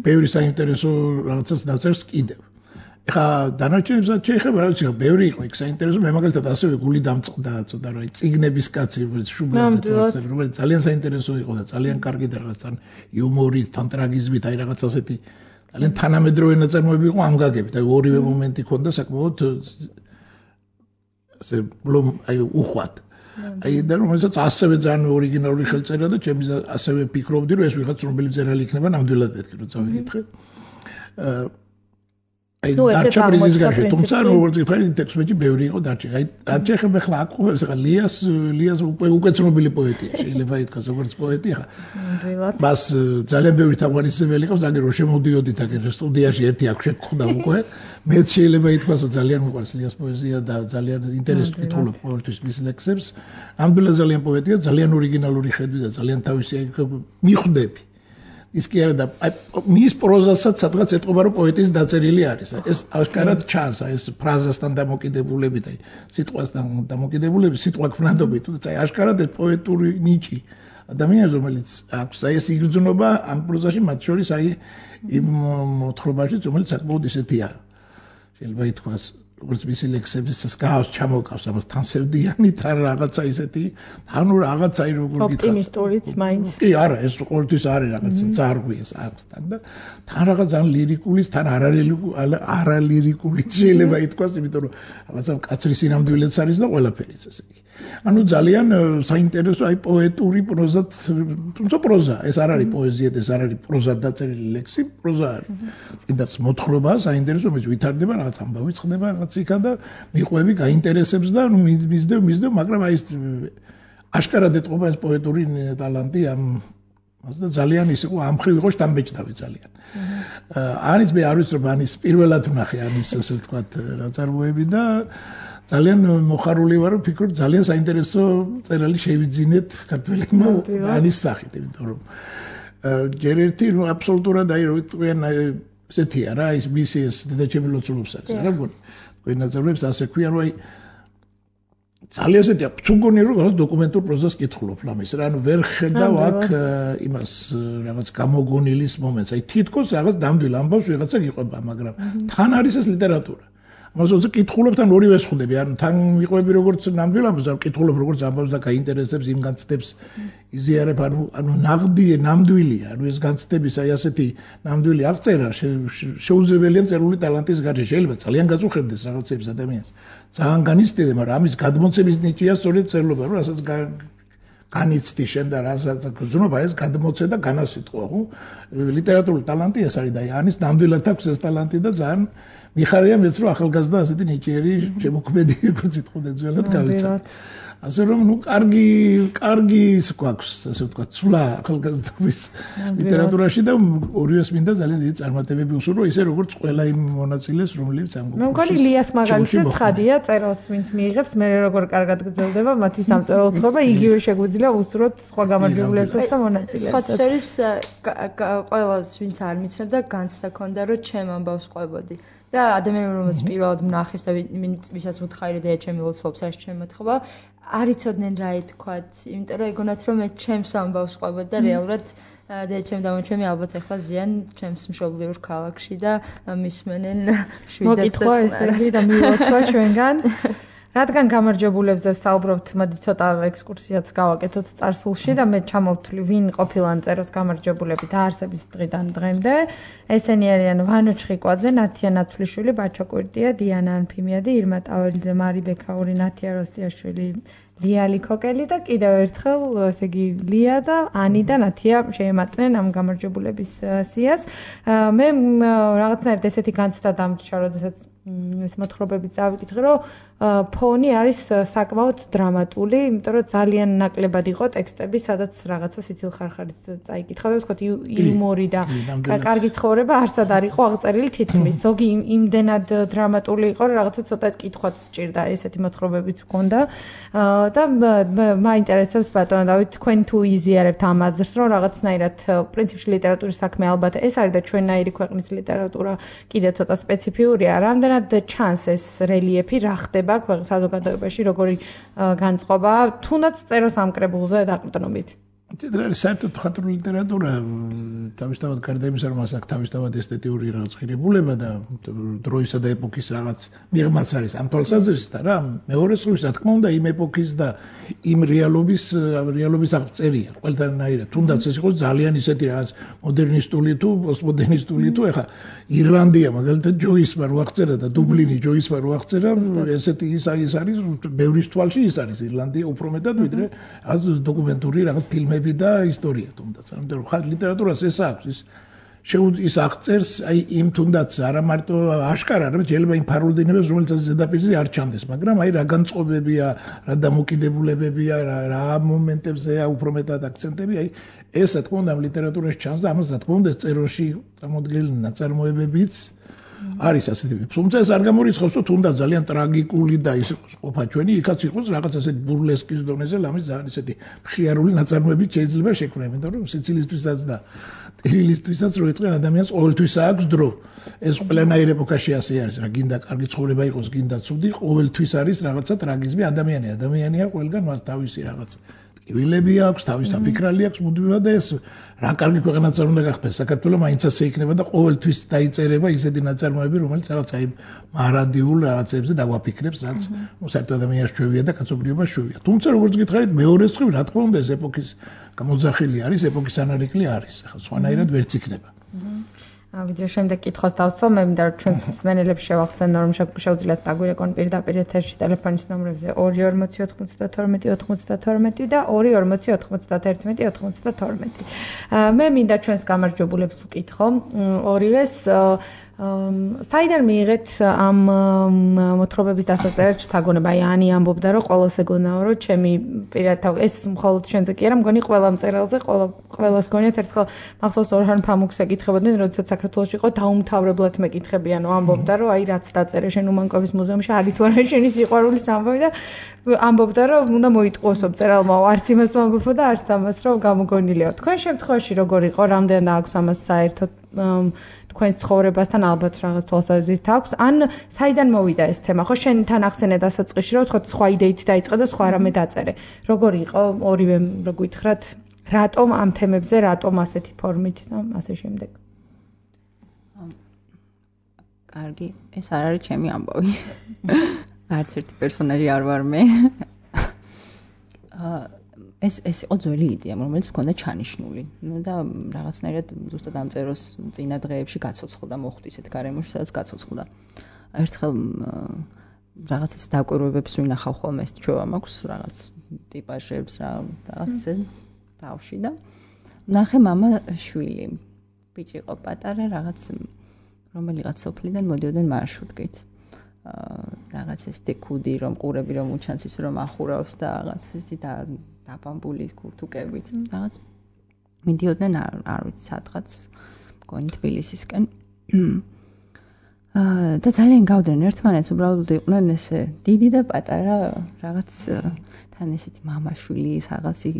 S1: ბევრი საინტერესო რაღაცას დაწერს კიდევ. ეხა დანარჩენებსაც შეეხება, რა ვიცი, ბევრი იყო იქ საინტერესო, მე მაგალითად ასევე გული დამწყდა ცოტა რა, წიგნების კაცი, რომელიც შუბლაძე, რომელიც ძალიან საინტერესო იყო და ძალიან კარგი და რაღაცთან იუმორით, თან ტრაგიზმით, აი რაღაც ასეთი ძალიან თანამედროვე ნაწარმოები იყო ამ გაგებით, აი ორივე მომენტი ქონდა საკმაოდ ასე ბლომ აი უხვად. აი და რომელსაც ასევე ძალიან ორიგინალური ხელწერა და ჩემი ასევე ფიქრობდი, რომ ეს ვიღაც ცნობილი მწერალი იქნება, ნამდვილად მეთქი რომ წავიკითხე. აი დარჩა პრიზის გარშე, თუმცა როგორც გითხარი, ტექსტში ბევრი იყო დარჩა. აი რაც შეეხება ხლა აკუებს, ხა ლიას ლიას უკვე ცნობილი პოეტია, შეიძლება ითქვას როგორც პოეტი ხა.
S2: ნამდვილად.
S1: მას ძალიან ბევრი თაგვარისებელი ყავს, აგერ რომ შემოდიოდით აგერ სტუდიაში ერთი აქ შეგხვდა უკვე. მეც შეიძლება ითქვას, რომ ძალიან მიყვარს ლიას პოეზია და ძალიან ინტერესს ვკითხულობ ყოველთვის მის ლექსებს. ნამდვილად ძალიან პოეტია, ძალიან ორიგინალური ხედვი და ძალიან თავისი მიხვდები. ის კი არა და მის პროზასაც სადღაც ეტყობა რომ პოეტის დაწერილი არის. ეს აღკარად ჩანს, ეს ფრაზასთან დამოკიდებულებით, აი სიტყვასთან დამოკიდებულებით, სიტყვა ქმნადობით, თუმცა აი აღკარად ეს პოეტური ნიჭი ადამიანს რომელიც აქვს, აი ეს იგრძნობა ამ პროზაში მათ შორის აი იმ მოთხრობაში, რომელიც საკმაოდ ისეთია. შეიძლება ითქვას როგორც მისი ლექსების გავს ჩამოკავს ამას თანსევდიანი თან რაღაცა ისეთი ანუ რაღაცა აი როგორ გითხრათ
S2: ოპტიმისტურიც მაინც
S1: კი არა ეს ყოველთვის არის რაღაცა ძარღვი ეს აქვს თან და თან რაღაც ან ლირიკული თან არალირიკული შეიძლება ითქვას იმიტომ რომ რაღაცა კაცრი სინამდვილეც არის და ყველაფერიც ესე იგი ანუ ძალიან საინტერესო აი პოეტური პროზა თუმცა პროზა ეს არ არის პოეზია ეს არ არის პროზა დაწერილი ლექსი პროზა არის კიდაც მოთხრობა საინტერესო მის ვითარდება რაღაც ამბავი ხდება ციკა და მიყვები გაინტერესებს და ნუ მისდევ მისდევ მაგრამ აი ეს აშკარად ეტყობა ეს პოეტური ტალანტი ამ და ძალიან ის იყო ამხრივ იყო შტამბეჭდავი ძალიან არის მე არ ვიცი რომ ანის პირველად ვნახე ანის ასე ვთქვათ ნაწარმოები და ძალიან მოხარული ვარ ვფიქრობ ძალიან საინტერესო წერალი შევიძინეთ ქართველებმა ანის სახით იმიტომ რომ ჯერ ერთი ნუ აბსოლუტურად აი რო ვიტყვიან ესეთია რა ის მისი ეს დედაჩემი ლოცულობს არის რა მგონი ვენაძრებს ასე ქვია რომ აი ძალიან ესეთია წუგონი რომ რაღაც დოკუმენტურ პროზას კითხულობ ლამის რა ანუ ვერ ხედავ აქ იმას რაღაც გამოგონილის მომენტს აი თითქოს რაღაც ნამდვილ ამბავს ვიღაცა გიყვება მაგრამ თან არის ეს ლიტერატურა ამაზე კითხულობ თან ორივე შეხდები ანუ თან მიყვები როგორც ნამდვილ ამბავს და კითხულობ როგორც ამბავს და გაინტერესებს იმ განცდებს იზიარებ ანუ ანუ ნაღდი ნამდვილია ანუ ეს განცდების აი ასეთი ნამდვილი აღწერა შეუძლებელია წერული ტალანტის გარშე შეიძლება ძალიან გაწუხებდეს რაღაცებს ადამიანს ძალიან განიცდიდეს მაგრამ ამის გადმოცემის ნიჭია სწორედ წერლობა რომ რასაც განიცდი შენ და რასაც გზნობა ეს გადმოცე და განასიტყვა ხო ლიტერატურული ტალანტი ეს არის და ანის ნამდვილად აქვს ეს ტალანტი და ძალიან მიხარია მეც რომ ახალგაზრდა ასეთი ნიჭიერი შემოქმედი როგორც იტყოდა ძველად გავიცან ასე რომ ნუ კარგი კარგი ის გვაქვს ასე ვთქვათ ცვლა ახალგაზრდობის ლიტერატურაში და ორივეს მინდა ძალიან დიდი წარმატებები უსურვო ისე როგორც ყველა იმ მონაწილეს რომლებიც ამ
S2: მე მგონი ლიას მაგალითზე ცხადია წეროს ვინც მიიღებს მე როგორ კარგად გრძელდება მათი სამწერლო ცხოვრება იგივე შეგვიძლია უსურვოთ სხვა გამარჯვებულებსაც და მონაწილეებს
S4: სხვა შორის ყველას ვინც არ მიცნობდა განცდა ქონდა რომ ჩემ ამბავს ყვებოდი და ადამიანი რომელიც პირველად მნახეს და ვისაც უთხარი და ჩემი ლოცულობს არის ჩემი მოთხრობა არ იცოდნენ რა ითქვათ იმიტომ რომ ეგონათ რომ მე ჩემს ამბავს ყვებოდი და რეალურად და ჩემ დამოჩემი ალბათ ახლა ზიან ჩემს მშობლიურ ქალაქში და მისმენენ შვიდად
S2: მოკითხვა ესე და მილოცვა ჩვენგან რადგან გამარჯვებულებს და საუბრობთ, მოდი ცოტა ექსკურსიაც გავაკეთოთ წარსულში და მე ჩამოვთვლი ვინ ყოფილან წეროს გამარჯვებულები დაარსების დღიდან დღემდე. ესენი არიან ვანო ჩხიკვაძე, ნათია ნაცვლიშვილი, ბაჩო კვირტია, დიანა ანფიმიადი, ირმა ტაველიძე, მარი ბექაური, ნათია როსტიაშვილი, ლიალი კოკელი და კიდევ ერთხელ ესე იგი ლია და ანი და ნათია შეემატნენ ამ გამარჯვებულების სიას. მე რაღაცნაირად ესეთი განცდა დამჭირა, როდესაც ეს მოთხრობები წავიკითხე, რომ ფონი არის საკმაოდ დრამატული, იმიტომ რომ ძალიან ნაკლებად იყო ტექსტები, სადაც რაღაცა სიცილხარხარით წაიკითხა, ვთქვათ, იუმორი და კარგი ცხოვრება არსად არ იყო აღწერილი თითქმის. ზოგი იმდენად დრამატული იყო, რომ რაღაცა ცოტა კითხვაც სჭირდა, ესეთი მოთხრობებიც ჰქონდა. და მაინტერესებს ბატონო დავით, თქვენ თუ იზიარებთ ამ აზრს, რომ რაღაცნაირად პრინციპში ლიტერატურის საქმე ალბათ ეს არის და ჩვენნაირი ქვეყნის ლიტერატურა კიდე ცოტა სპეციფიურია, რამდენად ჩანს ეს რელიეფი, რა ხდება ქვეყნის საზოგადოებაში, როგორი განწყობა, თუნდაც წეროს ამ კრებულზე დაყრდნობით.
S1: ცედრალი საერთოდ მხატვრული ლიტერატურა თავისთავად გარდა იმისა, რომ მას აქვს თავისთავად ესთეტიური რაღაც ღირებულება და დროისა და ეპოქის რაღაც მიღმაც არის ამ თვალსაზრისით რა, მეორე მხრივ, რა თქმა უნდა, იმ ეპოქის და იმ რეალობის რეალობის აღწერია. ყველანაირად, თუნდაც ეს იყოს ძალიან ისეთი რაღაც მოდერნისტული თუ პოსტმოდერნისტული თუ ეხა ირლანდია მაგალითად ჯოისმა რო აღწერა და დუბლინი ჯოისმა რო აღწერა, ესეთი ის არის ბევრის თვალში ის არის ირლანდია უფრო მეტად ვიდრე რაღაც დოკუმენტური რაღაც ფილმები და ისტორია თუნდაც. ამიტომ ხალხ ლიტერატურას ეს აქვს ის შეუძ ის აღწერს აი იმ თუნდაც არა მარტო აშკარა, არამედ შეიძლება იმ ფარულდინებას, რომელიც ზედაპირზე არ ჩანდეს, მაგრამ აი რა განწყობებია, რა დამოკიდებულებებია, რა რა მომენტებზეა უფრო მეტად აქცენტები, აი ეს რა თქმა უნდა ლიტერატურაში ჩანს და ამას რა თქმა უნდა წეროში წარმოდგენილი ნაწარმოებებიც არის ასეთი. თუმცა ეს არ გამორიცხავს, რომ თუნდაც ძალიან ტრაგიკული და ის ყოფა ჩვენი, იქაც იყოს რაღაც ასეთი ბურლესკის დონეზე, ლამის ძალიან ისეთი მხიარული ნაწარმოებიც შეიძლება შექმნა, იმიტომ რომ სიცილისთვისაც და ტირილისთვისაც რო იტყვიან ადამიანს ყოველთვის აქვს დრო. ეს ყველანაირ ეპოქაში ასე არის, რა გინდა კარგი ცხოვრება იყოს, გინდა ცუდი, ყოველთვის არის რაღაცა ტრაგიზმი, ადამიანი, ადამიანია ყველგან მას თავისი რაღაც ტკივილები აქვს, თავის საფიქრალი აქვს, მუდმივად და ეს რა კარგი ქვეყანაც არ უნდა გახდეს საქართველოს, მაინც ასე იქნება და ყოველთვის დაიწერება ისეთი ნაწარმოები, რომელიც რაღაც აი მარადიულ რაღაცებზე დაგვაფიქრებს, რაც ნუ საერთოდ ადამიანს ჩვევია და კაცობრიობას ჩვევია. თუმცა როგორც გითხარით, მეორე მხრივ, რა თქმა უნდა, ეს ეპოქის გამოძახილი არის, ეპოქის ანარიკლი არის. ახლა სხვანაირად ვერც იქნება.
S2: ვიდრე შემდეგ კითხოს დავსვამ, მე მინდა რომ ჩვენს მსმენელებს შევახსენო, რომ შეუძლიათ დაგვირეკონ პირდაპირ ეთერში ტელეფონის ნომრებზე ორი ორმოცი ოთხმოცდათორმეტი ოცდათორმეტი და ორი ორმოცი ოთხმოცდაერთმეტი ოცდათორმეტი. მე მინდა ჩვენს გამარჯვებულებს ვკითხო, ორივეს საიდან მიიღეთ ამ მოთხრობების დასაწერად შთაგონება? აი ანი ამბობდა, რომ ყოველს ეგონაო, რომ ჩემი პირადად ეს მხოლოდ შენზე კი არა, მგონი ყველა მწერალზე, ყველა ყველას გონიათ ერთხელ მახსოვს ორჰან ფამუქს ეკითხებოდნენ, როდესაც საქართველოში იყო დაუმთავრებლად მეკითხებიან, ამბობდა, რომ აი რაც დაწერე შენ უმანკოვის მუზეუმში, არის თუ არა შენი სიყვარულის ამბავი და ამბობდა, რომ უნდა მოიტყუოსო მწერალმა, არც იმას ვამბობ და არც ამას, რომ გამოგონილიო. თქვენ შემთხვევაში როგორ იყო, რამდენი აქვს ამას საერთოდ თქვენს ცხოვრებასთან ალბათ რაღაც თვალსაზრისით აქვს, ან საიდან მოვიდა ეს თემა? ხო შენ თან ახსენე დასაწყისში, რომ თქო სხვა იდეით დაიწყე და სხვა რამე დაწერე. როგორი იყო ორივე რო გითხრათ, რატომ ამ თემებზე, რატომ ასეთი ფორმით და ასე შემდეგ?
S3: კარგი, ეს არ არის ჩემი ამბავი. არც ერთი პერსონაჟი არ ვარ მე. აა ეს ეს იყო ძველი იდეა, რომელიც მქონდა ჩანიშნული. ნუ და რაღაცნაირად ზუსტად ამ წეროს წინა დღეებში გაცოცხლდა, მოხვდი ისეთ გარემოში, სადაც გაცოცხლდა. ერთხელ რაღაც ეს დაკვირვებებს ვინახავ ხოლმე, ეს ჩვევა მაქვს, რაღაც ტიპაჟებს, რაღაც ესე თავში და ნახე მამა შვილი. ბიჭი იყო პატარა, რაღაც რომელიღაც სოფლიდან მოდიოდნენ მარშრუტკით. რაღაც ეს დეკუდი რომ ყურები რომ უჩანს ის რომ ახურავს და რაღაც ისე და დაბამბული ქურთუკებით რაღაც მიდიოდნენ არ ვიცი სადღაც მგონი თბილისისკენ აა და ძალიან გავდნენ ერთმანეთს უბრალოდ იყვნენ ესე დიდი და პატარა რაღაც თან ესეთი მამაშვილი რაღაცი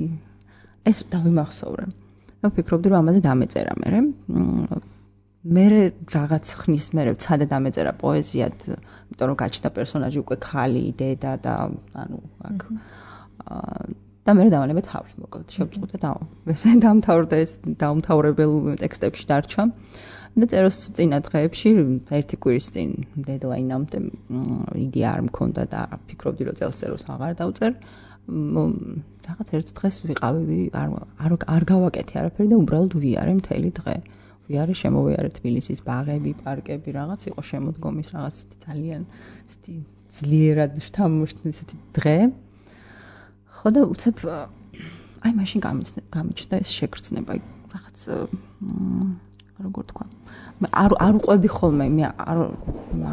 S3: ეს დავიმახსოვრე და ვფიქრობდი რომ ამაზე დამეწერა მე მე რაღაც ხნის მერე ვცადე დამეწერა პოეზიად იმიტომ რომ გაჩნდა პერსონაჟი უკვე ხალი დედა და ანუ აქ და მე დავანებე თავში მოკლედ შევწყვიტე და ესე დამთავრდა ეს დაუმთავრებელ ტექსტებში დარჩა და წეროს წინა დღეებში ერთი კვირის წინ დედლაინამდე იდეა არ მქონდა და ფიქრობდი რომ წელს წეროს აღარ დავწერ რაღაც ერთ დღეს ვიყავი არ არ არ გავაკეთე არაფერი და უბრალოდ ვიარე მთელი დღე ვიარე შემოვიარე თბილისის ბაღები, პარკები, რაღაც იყო შემოდგომის რაღაც ძალიან ისეთი ძლიერად შთამოშთი ისეთი დღე. ხო და უცებ აი მაშინ გამიჩნდა ეს შეგრძნება, რაღაც როგორ თქვა. მე არ არ უყვები ხოლმე, მე არ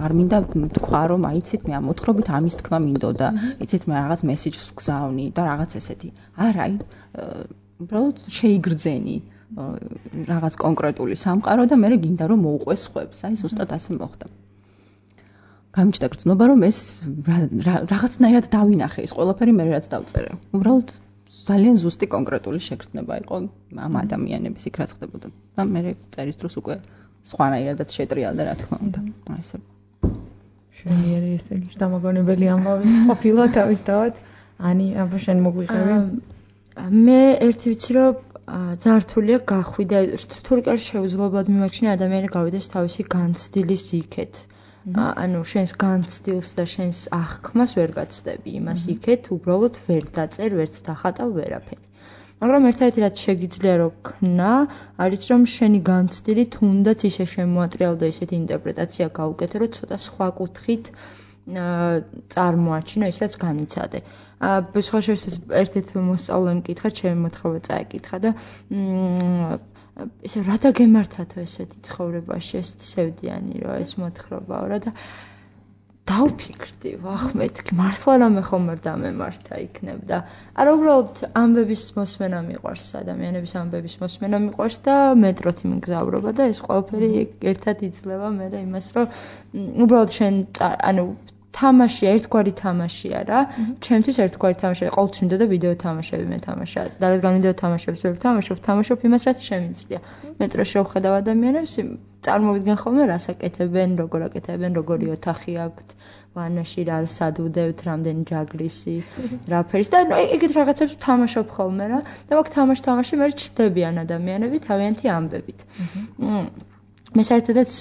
S3: არ მინდა თქვა რომ აიცით მე ამ მოთხრობით ამის თქმა მინდოდა, იცით მე რაღაც მესიჯს ვგზავნი და რაღაც ესეთი. არა, აი უბრალოდ შეიგრძენი რაღაც კონკრეტული სამყარო და მე გინდა რომ მოუყვეს ხვებს. აი ზუსტად ასე მოხდა. გამიჩნდა გრძნობა რომ ეს რაღაცნაირად დავინახე ეს ყველაფერი მე რაც დავწერე. უბრალოდ ძალიან ზუსტი კონკრეტული შეგრძნება იყო ამ ადამიანების იქ რაც ხდებოდა. და მე წერის დროს უკვე სხვანაირადაც შეტრიალდა რა თქმა უნდა. აი ესე
S2: შენიერი ესე იგი დამაგონებელი ამბავი ყოფილა თავისთავად. ანი აბა შენ მოგვიყევი?
S4: მე ერთი ვიცი რომ ძართულია გახვიდა თურქეთში შეუძლებლად მიმაჩნია ადამიანი გავიდეს თავისი განცდილის იქეთ. ანუ შენს განცდილს და შენს აღქმას ვერ გაცდები იმას იქეთ, უბრალოდ ვერ დაწერ, ვერც დახატავ ვერაფერი. მაგრამ ერთ-ერთი რაც შეგიძლია რომ ქნა, არის რომ შენი განცდილი თუნდაც ისე შემოატრიალო და ისეთი ინტერპრეტაცია გაუკეთე, რომ ცოტა სხვა კუთხით წარმოაჩინო ის რაც განიცადე. სხვა შევსეს ერთ-ერთ მოსწავლემ მკითხა, ჩემი მოთხრობა წაეკითხა და ესე რა დაგემართათო ესეთი ცხოვრებაში, ესეთი სევდიანი რა ეს მოთხრობაო რა და დავფიქრდი, ვახ მეთქი, მართლა რამე ხომ არ დამემართა იქნებ და არა უბრალოდ ამბების მოსმენა მიყვარს, ადამიანების ამბების მოსმენა მიყვარს და მეტროთი მგზავრობა და ეს ყველაფერი ერთად იძლევა მე იმას, რომ უბრალოდ შენ ანუ თამაში ერთგვარი თამაშია რა. ჩემთვის ერთგვარი თამაშია. ყოველთვის მინდოდა ვიდეო თამაშები მეთამაშა. და რადგან ვიდეო თამაშებს ვერ ვთამაშობ, თამაშობ იმას, რაც შემიძლია. მეტროში რო ვხედავ ადამიანებს, წარმოვიდგენ ხოლმე რას აკეთებენ, როგორ აკეთებენ, როგორი ოთახი აქვთ, ვანაში რა სადუდევთ, რამდენი ჯაგრისი, რა ფერის და ეგეთ რაღაცებს ვთამაშობ ხოლმე რა. და მაგ თამაშ-თამაში მე ჩრდებიან ადამიანები თავიანთი ამბებით. მე საერთოდაც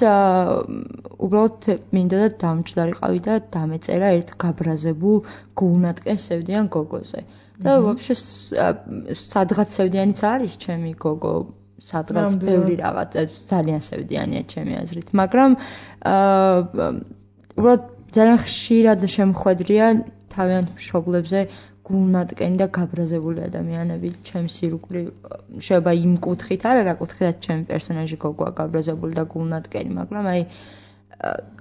S4: უბრალოდ მინდოდა დამჯდარიყავი და დამეწერა ერთ გაბრაზებულ გულნატკენს სევდიან გოგოზე. და ვაფშე სადღაც სევდიანიც არის ჩემი გოგო, სადღაც ბევრი რაღაც ძალიან სევდიანია ჩემი აზრით, მაგრამ უბრალოდ ძალიან ხშირად შემხვედრია თავიანთ მშობლებზე გულნატკენი და გაბრაზებული ადამიანები ჩემს ირგვლივ შეიძლება იმ კუთხით არა რა კუთხით ჩემი პერსონაჟი გოგოა გაბრაზებული და გულნატკენი მაგრამ აი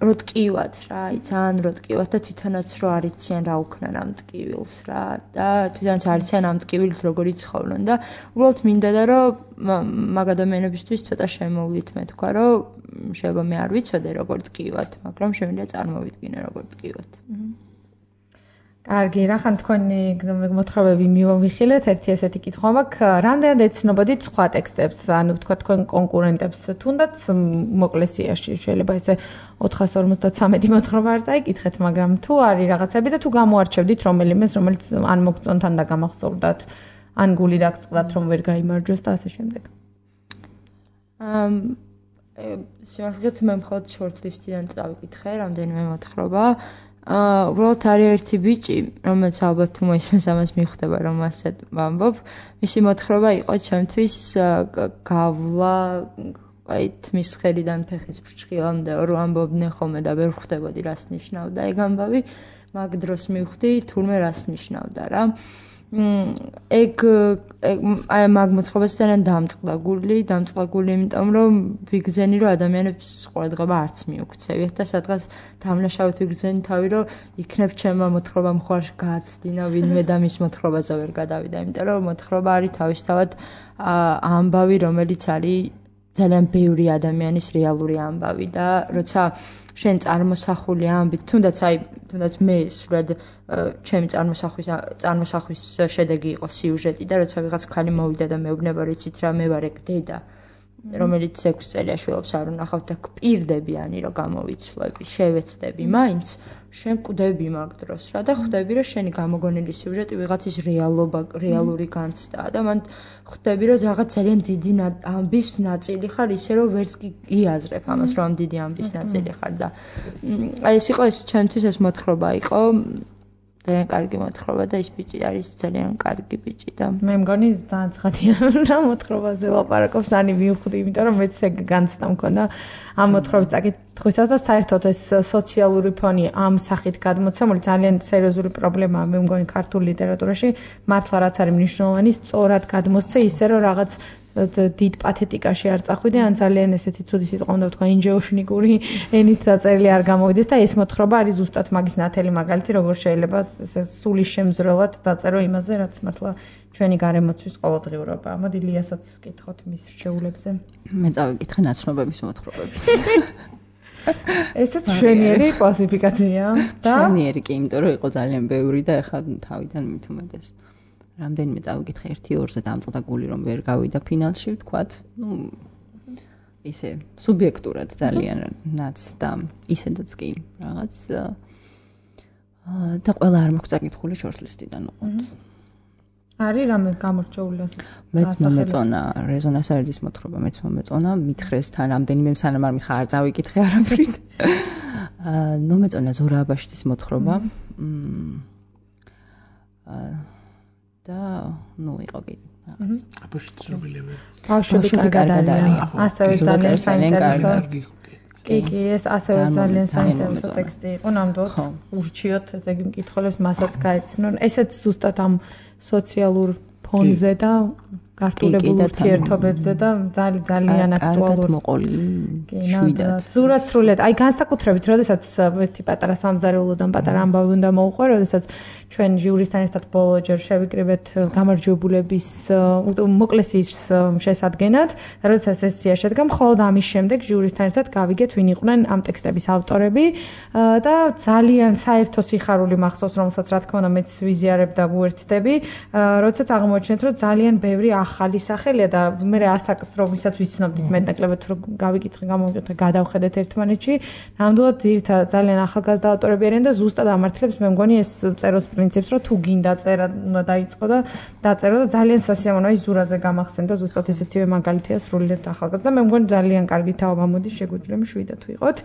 S4: რო ტკივად რა აი ძალიან რო ტკივად და თვითონაც რო არიციან რა უქნან ამ ტკივილს რა და თვითონაც არიციან ამ ტკივილით როგორი ცხოვრობენ და უბრალოდ მინდოდა რომ მაგ ადამიანებისთვის ცოტა შემოვლით მე თქვა რომ შეიძლება მე არ ვიცოდე როგორ ტკივად მაგრამ შემიძლია წარმოვიდგინე როგორ ტკივად
S2: კარგი, რახან თქვენი მოთხრობები მივიხილეთ, ერთი ესეთი კითხვა მაქვს, რამდენად ეცნობოდით სხვა ტექსტებს, ანუ თქვა თქვენ კონკურენტებს, თუნდაც მოკლესიაში შეიძლება ესე ოთხას ორმოცდათრამეტი მოთხრობა არ წაიკითხეთ, მაგრამ თუ არის რაღაცები და თუ გამოარჩევდით რომელიმეს, რომელიც ან მოგწონთან და გამახსოვრდათ, ან გული დაგწყდათ, რომ ვერ გაიმარჯვეს და ასე შემდეგ.
S4: ამ სიმართლედ მე მხოლოდ shortlist-დან წავიკითხე, რამდენიმე მოთხრობა. აა უბრალოდ არის ერთი ბიჭი, რომელიც ალბათ თუ მოისმენს ამას მიხვდება, რომ ასე ვამბობ. მისი მოთხრობა იყო ჩემთვის გავლა, აი თმის ხელიდან ფეხის ფრჩხილამდე რო ამბობდნენ ხოლმე და ვერ ხვდებოდი რას ნიშნავდა ეგ ამბავი, მაგ დროს მივხვდი თურმე რას ნიშნავდა რა. ეგ აი მაგ მოთხრობას ძალიან დამწყდა გული, დამწყდა გული იმიტომ რომ ვიგზენი რომ ადამიანებს ყურადღება არც მიუქცევიათ და სადღაც დამნაშავედ ვიგზენი თავი რომ იქნებ ჩემმა მოთხრობამ ხوار გააცდინა ვინმე და მის მოთხრობაზე ვერ გადავიდა, იმიტომ რომ მოთხრობა არის თავისთავად ამბავი, რომელიც არის ძალიან ბევრი ადამიანის რეალური ამბავი და როცა შენ წარმოსახული ამბით, თუნდაც აი თუნდაც მე სულად ჩემი წარმოსახვის წარმოსახვის შედეგი იყო სიუჟეტი და როცა ვიღაც ქალი მოვიდა და მეუბნება რომ იცით რა მე ვარ ეგ დედა რომელიც ექვსი წელია შვილებს არ უნახავთ და გპირდები ანი რომ გამოვიცვლები, შევეცდები მაინც შენ კვდები მაგ დროს რა და ხვდები რომ შენი გამოგონილი სიუჟეტი ვიღაცის რეალობა, რეალური განცდაა და მან ხვდები რომ რაღაც ძალიან დიდი ამბის ნაწილი ხარ ისე რომ ვერც კი იაზრებ ამას რომ ამ დიდი ამბის ნაწილი ხარ და აი ეს იყო ეს ჩემთვის ეს მოთხრობა იყო ძალიან კარგი მოთხრობა და ის ბიჭი არის ძალიან კარგი ბიჭი და
S2: მე მგონი ძალიან ცხადია რა მოთხრობაზე ლაპარაკობს ანი მივხვდი იმიტომ რომ მეც ეგ განცდა მქონდა ამ მოთხრობის წაკითხვისას და საერთოდ ეს სოციალური ფონი ამ სახით გადმოცემული ძალიან სერიოზული პრობლემაა მე მგონი ქართულ ლიტერატურაში მართლა რაც არის მნიშვნელოვანი სწორად გადმოსცე ისე რომ რაღაც დიდ პათეტიკაში არ წახვიდე ან ძალიან ესეთი ცუდი სიტყვა უნდა ვთქვა ინჯეუშნიკური ენით დაწერილი არ გამოვიდეს და ეს მოთხრობა არის ზუსტად მაგის ნათელი მაგალითი როგორ შეიძლება სულის შემზრელად დაწერო იმაზე რაც მართლა ჩვენი გარემოცვის ყოველდღიურობაა. მოდი ლიასაც ვკითხოთ მის რჩეულებზე.
S3: მე წავიკითხე ნაცნობების მოთხრობები.
S2: ესეც შვენიერი კლასიფიკაცია და
S3: შვენიერი კი იმიტომ რომ იყო ძალიან ბევრი და ეხლა თავიდან მით უმეტეს რამდენიმე წავიკითხე ერთი ორზე დამწყდა გული რომ ვერ გავიდა ფინალში ვთქვათ ну ისე სუბიექტურად ძალიან ნაც და ისედაც კი რაღაც და ყველა არ მაქვს წაკითხული shortlist-დან უყოთ
S2: არის რამე გამორჩეული ასე.
S3: მეც მომეწონა რეზონანს აერდის მოთხრობა, მეც მომეწონა მითხრეს თან რამდენიმე სანამ არ მითხრა არ წავიკითხე არაფრით. აა მომეწონა ზორა აბაშიძის მოთხრობა. და ნუ იყო კიდე რაღაც.
S1: აბაშიძის რომელები?
S2: ბავშვები კარგად არიან. ასევე ძალიან საინტერესო. კი, კი, ეს ასევე ძალიან საინტერესო ტექსტი იყო, ნამდვილად ურჩიოთ ესე იგი მკითხველებს მასაც გაეცნონ. ესეც ზუსტად ამ სოციალურ ფონზე და გართულებულ ურთიერთობებზე და ძალიან ძალიან აქტუალური
S3: მოყოლი შვიდად.
S2: ზურაც სრულიად. აი განსაკუთრებით, როდესაც ერთი პატარა სამზარეულოდან პატარა ამბავი უნდა მოუყვე, როდესაც ჩვენ ჟიურისთან ერთად ბოლო ჯერ შევიკრიბეთ გამარჯვებულების მოკლეს ის შესადგენად და როდესაც სესია შედგა, მხოლოდ ამის შემდეგ ჟიურისთან ერთად გავიგეთ ვინ იყვნენ ამ ტექსტების ავტორები და ძალიან საერთო სიხარული მახსოვს, რომელსაც რა თქმა უნდა მეც ვიზიარებ და ვუერთდები, როდესაც აღმოჩნეთ, რომ ძალიან ბევრი ახალი სახელია და მე ასაკს რომელსაც ვიცნობდით მეტნაკლებად რომ გავიკითხე, გამოვიკითხე, გადავხედეთ ერთმანეთში, ნამდვილად ძირითადად ძალიან ახალგაზრდა ავტორები არიან და ზუსტად ამართლებს მე მგონი ეს წეროს პრინციპს, რომ თუ გინდა წერა, უნდა დაიწყო და დაწერო და ძალიან სასიამოვნოა ის ზურაზე გამახსენდა ზუსტად ესეთივე მაგალითია სრულიად ახალგაზრდა და მე მგონი ძალიან კარგი თაობა მოდის შეგვიძლია შვიდად ვიყოთ.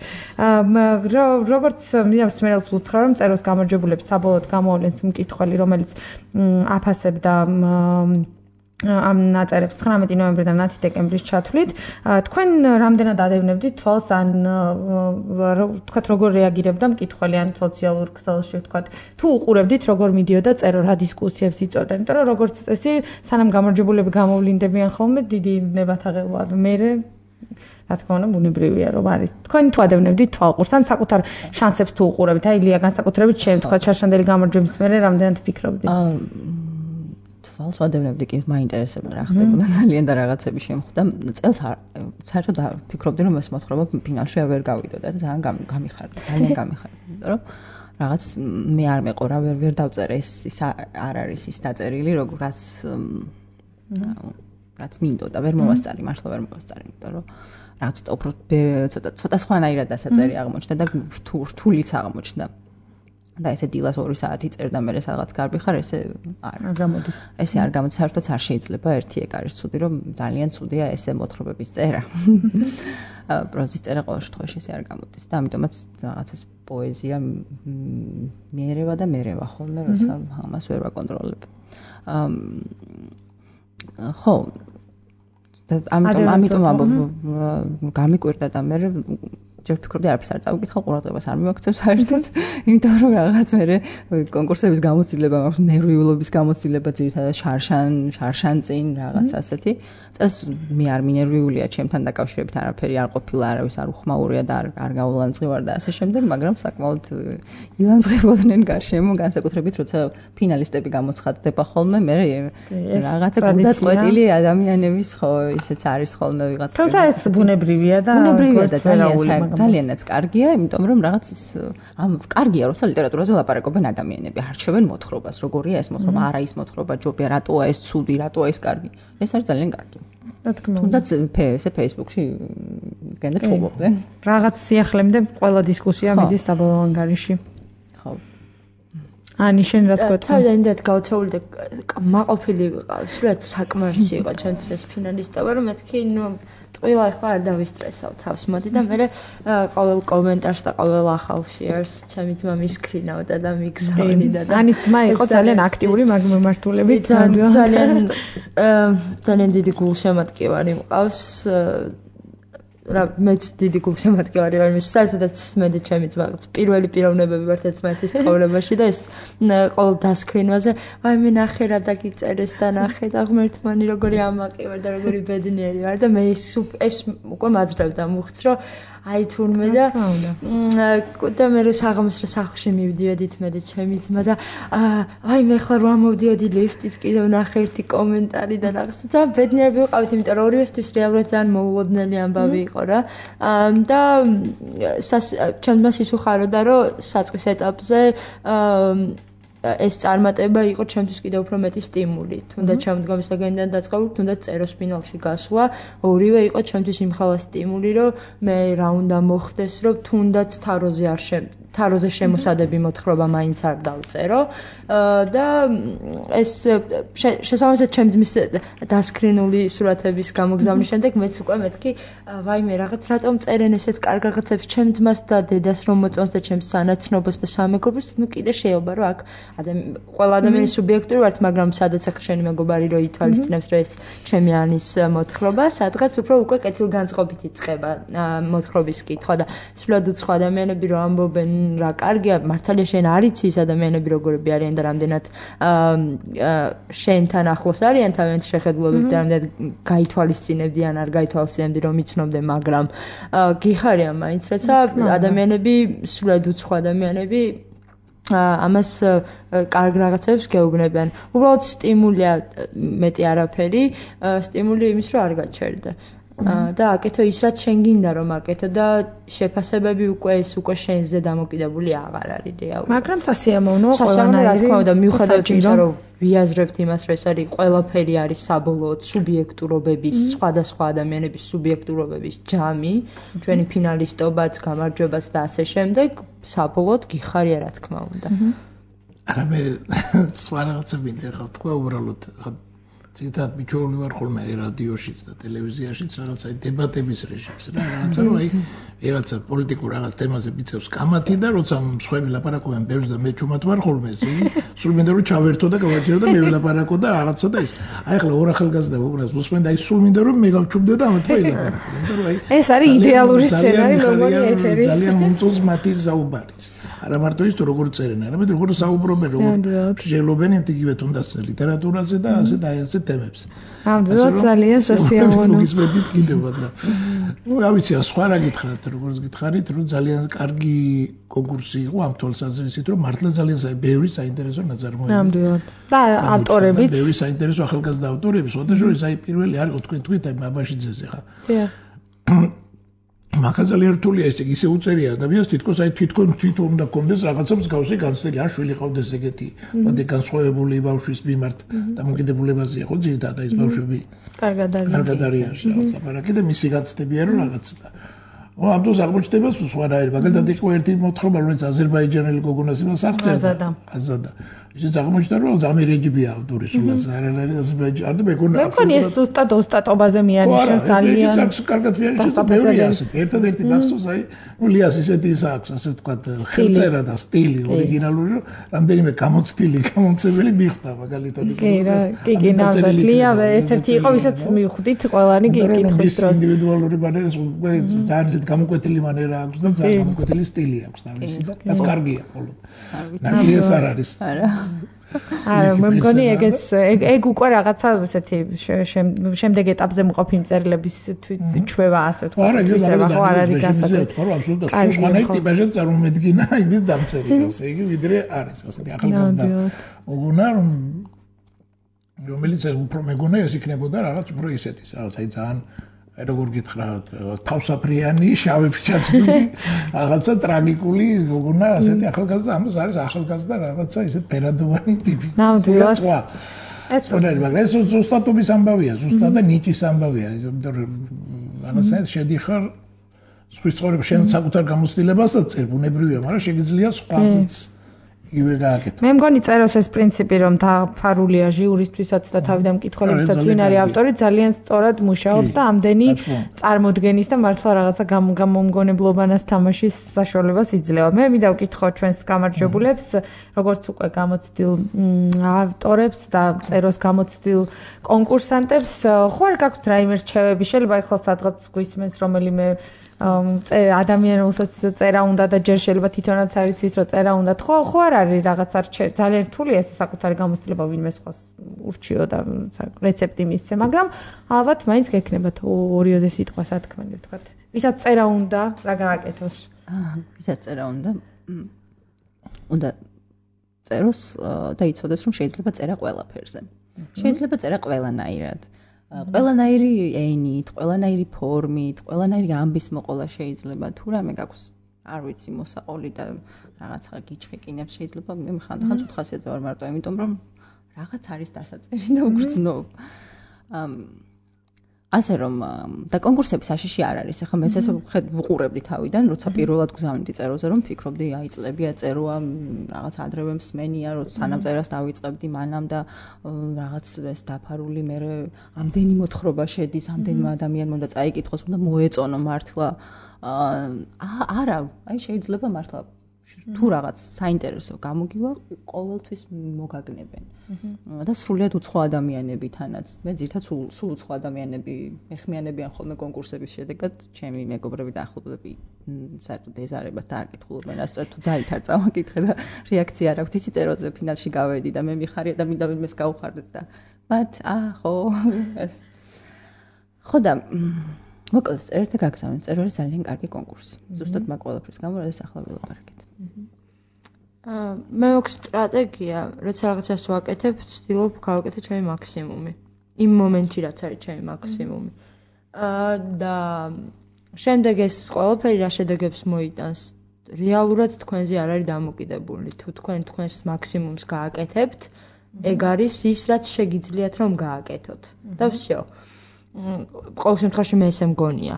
S2: როგორც მიამსმენელს ვუთხრა რომ წეროს გამარჯვებულებს საბოლოოდ გამოავლენს მკითხველი, რომელიც აფასებდა ამ ნაწერებს ცხრამეტი ნოემბრიდან მათი დეკემბრის ჩათვლით. თქვენ რამდენად ადევნებდით თვალს ან თქვათ როგორ რეაგირებდა მკითხველი ან სოციალურ ქსელში თქვათ თუ უყურებდით როგორ მიდიოდა წერო რა დისკუსიებს იწვევდა, იმიტომ რომ როგორც წესი სანამ გამარჯვებულები გამოვლინდებიან ხოლმე დიდი ნებათაღელვა მე რა თქმა უნდა ბუნებრივია რომ არის. თქვენ თუ ადევნებდით თვალყურს ან საკუთარ შანსებს თუ უყურებთ, აი ლია განსაკუთრებით შენ თქვათ შარშანდელი გამარჯვების მერე რამდენად ფიქრობდი?
S3: თვალს ვადევნებდი კი მაინტერესებდა რა ხდებოდა ძალიან და რაღაცები შემხვდა. წელს საერთოდ ფიქრობდი რომ ეს მოთხრობა ფინალში ვერ გავიდოდა და ძალიან გამიხარდა, ძალიან გამიხარდა, იმიტომ რომ რაღაც მე არ მეყარა ვერ ვერ დავწერე ეს ის არ არის ის დაწერილი როგორც რაც მინდოდა, ვერ მოვასწარი, მართლა ვერ მოვასწარი, იმიტომ რომ რაღაც ცოტა ცოტა სხვანაირად დასაწერი აღმოჩნდა და რთულიც აღმოჩნდა. და ესე დილას ორი საათი წერდა მე სადღაც გარბიხარ ესე არ
S2: გამოდის.
S3: ესე არ გამოდის, საერთოდ არ შეიძლება ერთი ეგ არის ცუდი რომ ძალიან ცუდია ესე მოთხრობების წერა. პროზის წერა ყოველ შემთხვევაში ესე არ გამოდის და ამიტომაც რაღაც ეს პოეზია მიერევა და მერევა ხოლმე როცა ამას ვერ ვაკონტროლებ. ხო ამიტომ ამიტომ გამიკვირდა და მე ჯერ ფიქრობდი არაფერს არ წავიკითხავ, ყურადღებას არ მივაქცევ საერთოდ, იმიტომ რომ რაღაც მე კონკურსების გამოცდილება მაქვს, ნერვიულობის გამოცდილება ძირითადად შარშან, შარშან წინ რაღაც ასეთი. წელს მე არ მინერვიულია, ჩემთან დაკავშირებით არაფერი არ ყოფილა, არავის არ უხმაურია და არ არ გაულანძღივარ და ასე შემდეგ, მაგრამ საკმაოდ ილანძღებოდნენ გარშემო, განსაკუთრებით როცა ფინალისტები გამოცხადდება ხოლმე, მე რაღაცა გულდაწყვეტილი ადამიანების ხო ისეც არის ხოლმე ვიღაც.
S2: თუმცა ეს ბუნებრივია და
S3: ბუნებრივია და ძალიან ძალიანაც კარგია, იმიტომ რომ რაღაც ამ კარგია, როცა ლიტერატურაზე ლაპარაკობენ ადამიანები, არჩევენ მოთხრობას, როგორია ეს მოთხრობა, არა ის მოთხრობა, ჯობია, რატოა ეს ცუდი, რატოა ეს კარგი. ეს არის ძალიან კარგი.
S2: რა თქმა უნდა.
S3: თუნდაც ესე Facebook-ში გენდა ჩუბობდნენ.
S2: რაღაც სიახლემდე ყველა დისკუსია მიდის საბოლოო ანგარიში.
S3: ხო.
S2: ani შენ რა თქვა?
S4: თავიდან იმდენად გაოცებული და მაყოფილი ვიყავ, სულად საკმარისი იყო ჩემთვის ეს ფინალისტობა, რომ მეთქი ნუ ტყილა ახლა არ დავისტრესავ თავს მოდი და მე ყოველ კომენტარს და ყოველ ახალ შეერს ჩემი ძმა მისკრინავდა და მიგზავნიდა და
S2: ანის ძმა იყო ძალიან აქტიური მაგ მიმართულებით
S4: ძალიან ძალიან დიდი გულშემატკივარი მყავს რა მეც დიდი გულშემატკივარი ვარ მის საერთოდაც მე და ჩემი ძმა პირველი პიროვნებები ვართ ერთმანეთის ცხოვრებაში და ეს ყოველ დასკრინვაზე აი მე ნახე რა დაგიწერეს და ნახე და ღმერთმანი როგორი ამაყი ვარ და როგორი ბედნიერი ვარ და მე ეს ეს უკვე მაძრავდა მუხც რომ აი თურმე და და მე საღამოს სახლში მივდიოდით მე და ჩემი ძმა და აი მე ხლა რომ მოვდიოდი ლიფტით კიდევ ნახე ერთი კომენტარი და რაღაცა ძალიან ბედნიერები ვიყავით იმიტომ რომ ორივესთვის რეალურად ძალიან მოულოდნელი ამბავი იყო რა და ჩემს მას ის უხაროდა რომ საწყის ეტაპზე ეს წარმატება იყო ჩემთვის კიდევ უფრო მეტი სტიმული. თუნდაც შემდგომის ლეგენდიდან დაწყებული, თუნდაც წეროს ფინალში გასვლა, ორივე იყო ჩემთვის იმხელა სტიმული, რომ მე რა უნდა მოხდეს, რომ თუნდაც თაროზე არ შე თაროზე შემოსადები მოთხრობა მაინც არ დავწერო და ეს შესაბამისად ჩემ ძმის დასკრინული სურათების გამოგზავნის შემდეგ მეც უკვე მეთქი ვაიმე რაღაც რატომ წერენ ესეთ კარგ რაღაცებს ჩემ ძმას და დედას რომ მოწონს და ჩემს სანაცნობას და სამეგობროს ნუ კიდე შეიძლება რომ აქ ყველა ადამიანი სუბიექტური ვართ მაგრამ სადაც ახლა შენი მეგობარი რო ითვალისწინებს რომ ეს ჩემი ანის მოთხრობა სადღაც უფრო უკვე კეთილგანწყობით იწყება მოთხრობის კითხვა და სულად უცხო ადამიანები რო ამბობენ რა კარგია მართალია შენ არ იცი ის ადამიანები როგორები არიან და რამდენად შენთან ახლოს არიან თავიანთი შეხედულებებით და რამდენად გაითვალისწინებდი ან არ გაითვალისწინებდი რომ იცნობდე მაგრამ გიხარია მაინც როცა ადამიანები სულად უცხო ადამიანები ამას კარგ რაღაცებს გეუბნებიან. უბრალოდ სტიმულია მეტი არაფერი, სტიმული იმის რომ არ გაჩერდე. და აკეთო ის რაც შენ გინდა რომ აკეთო და შეფასებები უკვე ეს უკვე შენზე დამოკიდებული აღარ არის რეალურად.
S2: მაგრამ სასიამოვნოა ყველანაირი.
S4: სასიამოვნოა რა თქმა უნდა მიუხედავად იმისა რომ ვიაზრებთ იმას რომ ეს არის ყველაფერი არის საბოლოოდ სუბიექტურობების სხვადასხვა ადამიანების სუბიექტურობების ჯამი, ჩვენი ფინალისტობაც, გამარჯვებაც და ასე შემდეგ, საბოლოოდ გიხარია რა თქმა უნდა.
S1: არა მე სხვა რაღაცები მინდა თქვა უბრალოდ ციტატ მიჩვეული ვარ ხოლმე რადიოშიც და ტელევიზიაშიც რაღაცა დებატების რეჟიმს რა რაღაცა რომ აი რაღაცა პოლიტიკურ რაღაც თემაზე მიწევს კამათი და როცა მსხვერპლი ლაპარაკობენ ბევრს და მე ჩუმად ვარ ხოლმე ესე იგი სულ მინდა რომ ჩავერთო და გავაჭირო და მე ვილაპარაკო და რაღაცა და ის აი ახლა ორ ახალგაზრდა უყურებს უსმენ და აი სულ მინდა რომ მე გავჩუმდე და ამათ რა ილაპარაკო იმიტომ რომ აი
S2: ეს არის იდეალური სცენარი მეგონი ეთერის
S1: ძალიან მომწონს მათი საუბარიც არა მარტო ის თუ როგორ წერენ არამედ როგორ საუბრობენ როგორ შეძლობენ იგივე თუნდაც ლიტერატურაზე და ასე და ასე თემებს.
S2: ამდენად ძალიან სასიამოვნო.
S1: ის მედით კიდე მაგრამ. ნუ რა ვიცი, სხვა რა გითხრათ, როგორც გითხარით, რომ ძალიან კარგი კონკურსი იყო ამ თვალსაზრისით, რომ მართლა ძალიან ბევრი საინტერესო ნაწარმოები.
S2: ამდენად. და ავტორებიც.
S1: ბევრი საინტერესო ახალგაზრდა ავტორები, შესაძლოა აი პირველი არის თქვენ თქვით აი ბაბაშიძეზე ხა.
S2: დიახ.
S1: მაგა ძალიან რთულია ესე ისე უწერია ადამიანს თითქოს აი თვითონ თვითონ უნდა კონდეს რაღაცა მსგავსი განცდილი ან შვილი ყავდეს ეგეთი მოდი განსხვავებული ბავშვის მიმართ დამოკიდებულებაზე ხო ძირითადად ის ბავშვები
S2: კარგად არიან
S1: კარგად არიან ლაპარაკი და მისი განცდებია რომ რაღაც და ო ამ დროს აღმოჩნდება სხვანაირი მაგალითად იყო ერთი მოთხრობა რომელიც აზერბაიჯანელი გოგონას იმას აღწერდა აზადა ისიც აღმოჩნდა რომ ამერეჯიბია ავტორი სულაც არ არის აზერბაიჯანი და მეგონა
S2: მე მგონი ეს ზუსტად ოსტატობაზე მიანიშნებს ძალიან
S1: კარგად მიანიშნებს ბევრი ასეთ ერთადერთი მახსოვს აი ნუ ლიას ისეთი ის აქვს ასე ვთქვათ ხელწერა და სტილი ორიგინალური რომ რამდენიმე გამოცდილი გამოცემელი მიხვდა მაგალითად
S2: კი რა კი კი ნამდვილად ლია ერთ-ერთი იყო ვისაც მივხვდით ყველანი კითხვის დროს
S1: ინდივიდუალური მანერა ძალიან ისეთ გამოკვეთილი მანერა აქვს და ძალიან გამოკვეთილი სტილი აქვს თავისი და ეს კარგია მხოლოდ ნაკლიეს არ არის
S2: არა არა მე მგონი ეგეც ეგ უკვე რაღაცა ესეთი შემდეგ ეტაპზე მყოფი მწერლების თვითჩვევა ასე ვთქვათ თვისება ხო არ არის გასაგები
S1: ხო აბსოლუტურად სხვანაირი ტიპაჟი წარმომედგინა იმის დამწერილს იგი ვიდრე არის ასეთი ახალგაზრდა ოგონა რომ რომელიც უფრო მეგონა ეს იქნებოდა რაღაც უფრო ისეთის რაღაც აი ძალიან აი როგორ გითხრათ თავსაფრიანი შავი ფიჭაცმული რაღაცა ტრაგიკული გოგონა ასეთი ახალგაზრდა ამას არის ახალგაზრდა რაღაცა ისეთ ფერადოვანი ტიპი
S2: ნამდვილად
S1: ეს სწორედ მაგრამ ეს ზუსტადობის ამბავია ზუსტად და ნიჭის ამბავია იმიტომ რომ რაღაცა შედიხარ სხვის ცხოვრების შენ საკუთარ გამოცდილებასაც წერ ბუნებრივია მაგრამ შეგიძლია სხვასაც იგივე გააკეთო.
S2: მე მგონი წეროს ეს პრინციპი რომ დაფარულია ჟიურისთვისაც და თავიდან მკითხველებსაც ვინ არის ავტორი ძალიან სწორად მუშაობს და ამდენი წარმოდგენის და მართლა რაღაცა გამომგონებლობანას თამაშის საშუალებას იძლევა. მე მინდა ვკითხო ჩვენს გამარჯვებულებს როგორც უკვე გამოცდილ ავტორებს და წეროს გამოცდილ კონკურსანტებს ხო არ გაქვთ რაიმე რჩევები შეიძლება ახლა სადღაც გვისმენს რომელიმე ადამიანი რომელსაც წერა უნდა და ჯერ შეიძლება თვითონაც არის ის რომ წერა უნდა ხო ხო არ არის რაღაცა ძალიან რთულია ეს საკუთარი გამოცდილება ვინმე სხვას ურჩიო და რეცეპტი მისცე მაგრამ ალბათ მაინც გექნებათ ორიოდე სიტყვა სათქმელი ვთქვათ ვისაც წერა უნდა რა გააკეთოს
S3: ვისაც წერა უნდა უნდა წეროს და იცოდეს რომ შეიძლება წერა ყველაფერზე შეიძლება წერა ყველანაირად ყველანაირი ენით, ყველანაირი ფორმით, ყველანაირი ამბის მოყოლა შეიძლება. თუ რამე გაქვს, არ ვიცი, მოსაყოლი და რაღაცა გიჩხეკინებს შეიძლება. მე ხანდახან ცოტ ხასიათზე ვარ მარტო, იმიტომ რომ რაღაც არის დასაწერი და უგრძნობ. ასე რომ და კონკურსების აშიში არ არის. ახლა მე ესე ვუყურებდი თავიდან, როცა პირველად გზავნიდი წეროზე, რომ ფიქრობდი, აი წლებია წეროა, რაღაც ადრევე მსმენია, როცა სანამ წერას დავიწყებდი, მანამ და რაღაც ეს დაფარული მე ამდენი მოთხრობა შედის, ამდენმა ადამიანმა უნდა წაიკითხოს, უნდა მოეწონო მართლა. აა არა, აი შეიძლება მართლა თუ რაღაც საინტერესო გამოგივა, ყოველთვის მოგაგნებენ. და სრულიად უცხო ადამიანებითანაც. მე ძირითადად სულ უცხო ადამიანები მეხმიანებიან ხოლმე კონკურსების შედეგად, ჩემი მეგობრები და ახლობლები საერთოდ ეზარებათ და არ კითხულობენ, ასწორ თუ ძალით არ წავაკითხე და რეაქცია არ აქვთ, ისი წეროზე ფინალში გავედი და მე მიხარია და მინდა ვინმეს გავუხარდეთ და მათ აა ხო ხო და მოკლედ წერეთე გაგზავნეთ, წერო არის ძალიან კარგი კონკურსი. ზუსტად მაგ ყველაფრის გამო ეს ახლა ვილაპარაკეთ.
S4: აა მე მაქვს სტრატეგია, როცა რაღაცას ვაკეთებ, ვცდილობ გავაკეთო ჩემი მაქსიმუმი. იმ მომენტში რაც არის ჩემი მაქსიმუმი. აა და შემდეგ ეს ყველაფერი რა შედეგებს მოიტანს, რეალურად თქვენზე არ არის დამოკიდებული. თუ თქვენ თქვენს მაქსიმუმს გააკეთებთ, ეგ არის ის, რაც შეგიძლიათ რომ გააკეთოთ. და всё. ყოველ შემთხვევაში მე ესე მგონია.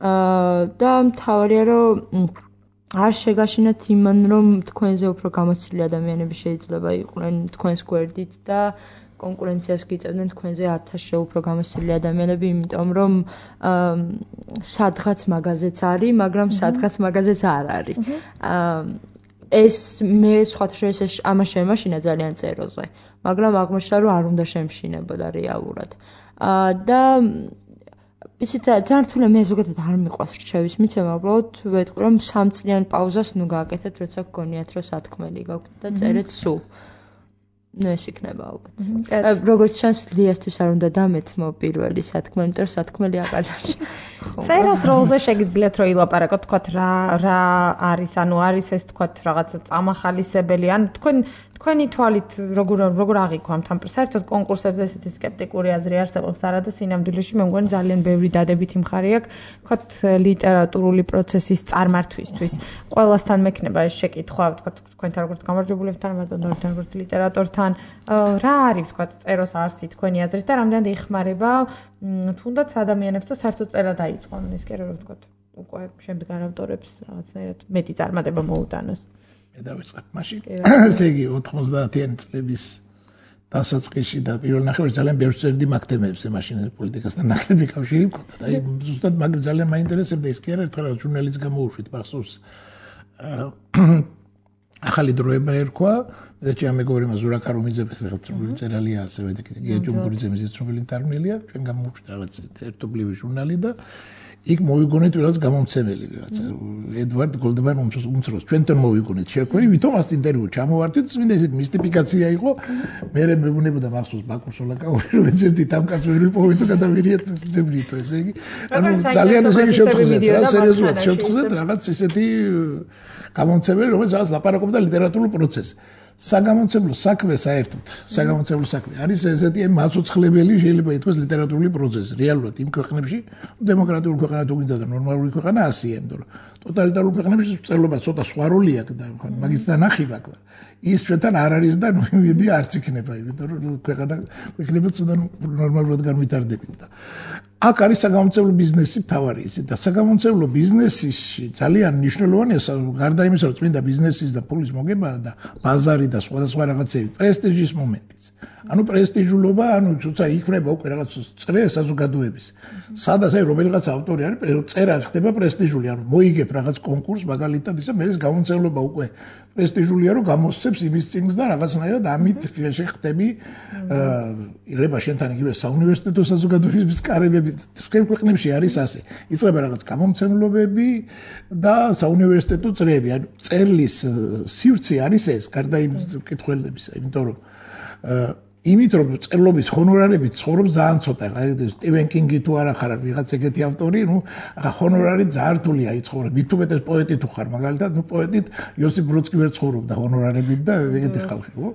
S4: აა და მთავარია რომ არ შეგაშინათ იმან რომ თქვენზე უფრო გამოცდილი ადამიანები შეიძლება იყვნენ თქვენს გვერდით და კონკურენციას გიწევდნენ თქვენზე ათასში უფრო გამოცდილი ადამიანები, იმიტომ რომ სადღაც მაგაზეც არის, მაგრამ სადღაც მაგაზეც არ არის. აა ეს მე სხვათა შორის ამას შემაშინა ძალიან წეროზე, მაგრამ აღმოჩნდა რომ არ უნდა შემშინებოდა რეალურად. აა და იცით ძალიან რთულია, მე ზოგადად არ მიყვარს რჩევის მიცემა, უბრალოდ ვეტყვი რომ სამწლიან პაუზას ნუ გააკეთებთ, როცა გგონიათ რომ სათქმელი გაქვთ და წერეთ სულ. ნუ ეს იქნება ალბათ. როგორც ჩანს, ლიასთვის არ უნდა დამეთმო პირველი სათქმელი, იმიტომ რომ სათქმელი აყარდაში.
S2: წერას როლზე შეგიძლიათ რომ ილაპარაკოთ, თქვათ რა რა არის, ანუ არის ეს თქვათ რაღაცა წამახალისებელი, ანუ თქვენ თქვენი თვალით როგორ როგორ აღიქვამთ ამ საერთოდ კონკურსებზე ესეთი სკეპტიკური აზრი არსებობს არა და სინამდვილეში მე მგონი ძალიან ბევრი დადებითი მხარე აქვს თქვათ ლიტერატურული პროცესის წარმართვისთვის. ყველასთან მექნება ეს შეკითხვა, თქვათ თქვენთან როგორც გამარჯვებულებთან, მათთან როგორც ლიტერატორთან, რა არის თქვათ წეროს არსი თქვენი აზრით და რამდენად ეხმარება თუნდაც ადამიანებს და საერთოდ წერა დაიწყონ ის კი რომ თქვათ უკვე შემდეგ არ ავტორებს რაღაცნაირად მეტი წარმატება მოუტანოს.
S1: მე დავიწყებ მაშინ. ესე იგი ოთხმოცდაათიანი წლების დასაწყისში და პირველ ნახევარში ძალიან ბევრს წერდი მაგ თემებზე, მაშინ პოლიტიკასთან ნაკლები კავშირი მქონდა და აი ზუსტად მაგ ძალიან მაინტერესებდა ის კი არა, ერთხელ ჟურნალისტს გამოუშვით ბახსოვს. ახალი დროება ერქვა, და ჩემი მეგობრი მაზურა კარუმიძე ფეხბურთელი წერალია ასევე და კიდე გია ჯუმბურიძე მიზეც რომელი თარგმნელია, ჩვენ გამოუშვით რაღაც ერთობლივი ჟურნალი და იქ მოვიგონეთ რაღაც გამომცემელი რაღაც ედვარდ გოლდმან უმცროს ჩვენთან მოვიგონეთ შეკვერი ვითომ ას ინტერვიუ ჩამოვარდით წმინდა ესეთ მისტიფიკაცია იყო მე მეუბნებოდა მახსოვს ბაკურ სოლაკაური რომ ეძებდით ამ კაცს ვერ ვიპოვეთ და გადავირიეთ ძებრითო ესე იგი ანუ ძალიან ესე შევთხზეთ რა სერიოზულად შევთხზეთ რაღაც ესეთი გამომცემელი რომელიც რაღაც ლაპარაკობდა ლიტერატურულ პროცესს საგამომცემლო საქმე საერთოდ საგამომცემლო საქმე არის ესეთი მაცოცხლებელი შეიძლება ითქვას ლიტერატურული პროცესი რეალურად იმ ქვეყნებში დემოკრატიულ ქვეყანად უგინდა და ნორმალური ქვეყანა ასია იმიტომ რომ ტოტალიტარულ ქვეყნებში წერლობა ცოტა სხვა როლი აქვს და მაგის დანახი მაქვს ის ჩვენთან არ არის და ნუ მიდი არც იქნება იმიტომ რომ ქვეყანა ქვეყნები ცოტა ნორმალურად განვითარდებით და აქ არის საგამომცემლო ბიზნესი მთავარი ისე და საგამომცემლო ბიზნესში ძალიან მნიშვნელოვანია გარდა იმისა რომ წმინდა ბიზნესის და ფულის მოგება და ბაზარი და სხვადასხვა რაღაცები პრესტიჟის მომენტიც ანუ პრესტიჟულობა ანუ თუცა იქნება უკვე რაღაც წრე საზოგადოების სადაც აი რომელიღაც ავტორი არის წერა ხდება პრესტიჟული ანუ მოიგებ რაღაც კონკურს მაგალითად ისა მე ეს გამომცემლობა უკვე პრესტიჟულია რომ გამოსცემს იმის წინს და რაღაცნაირად ამით შეხტები იღება შენთან იგივე საუნივერსიტეტო საზოგადოების კარებები თქვენ ქვეყნებში არის ასე იწყება რაღაც გამომცემლობები და საუნივერსიტეტო წრეები ანუ წერლის სივრცე არის ეს გარდა იმ კითხველებისა იმიტომ რომ იმით რომ წერლობის ჰონორარები ცხოვრობს ძალიან ცოტა სტივენ კინგი თუ არა ხარ ვიღაც ეგეთი ავტორი ნუ ჰონორარი ძალიან რთულია იცხოვრება მით უმეტეს პოეტი თუ ხარ მაგალითად ნუ პოეტით იოსიფ ბროდსკი ვერ ცხოვრობდა ჰონორარებით და ეგეთი ხალხი ხო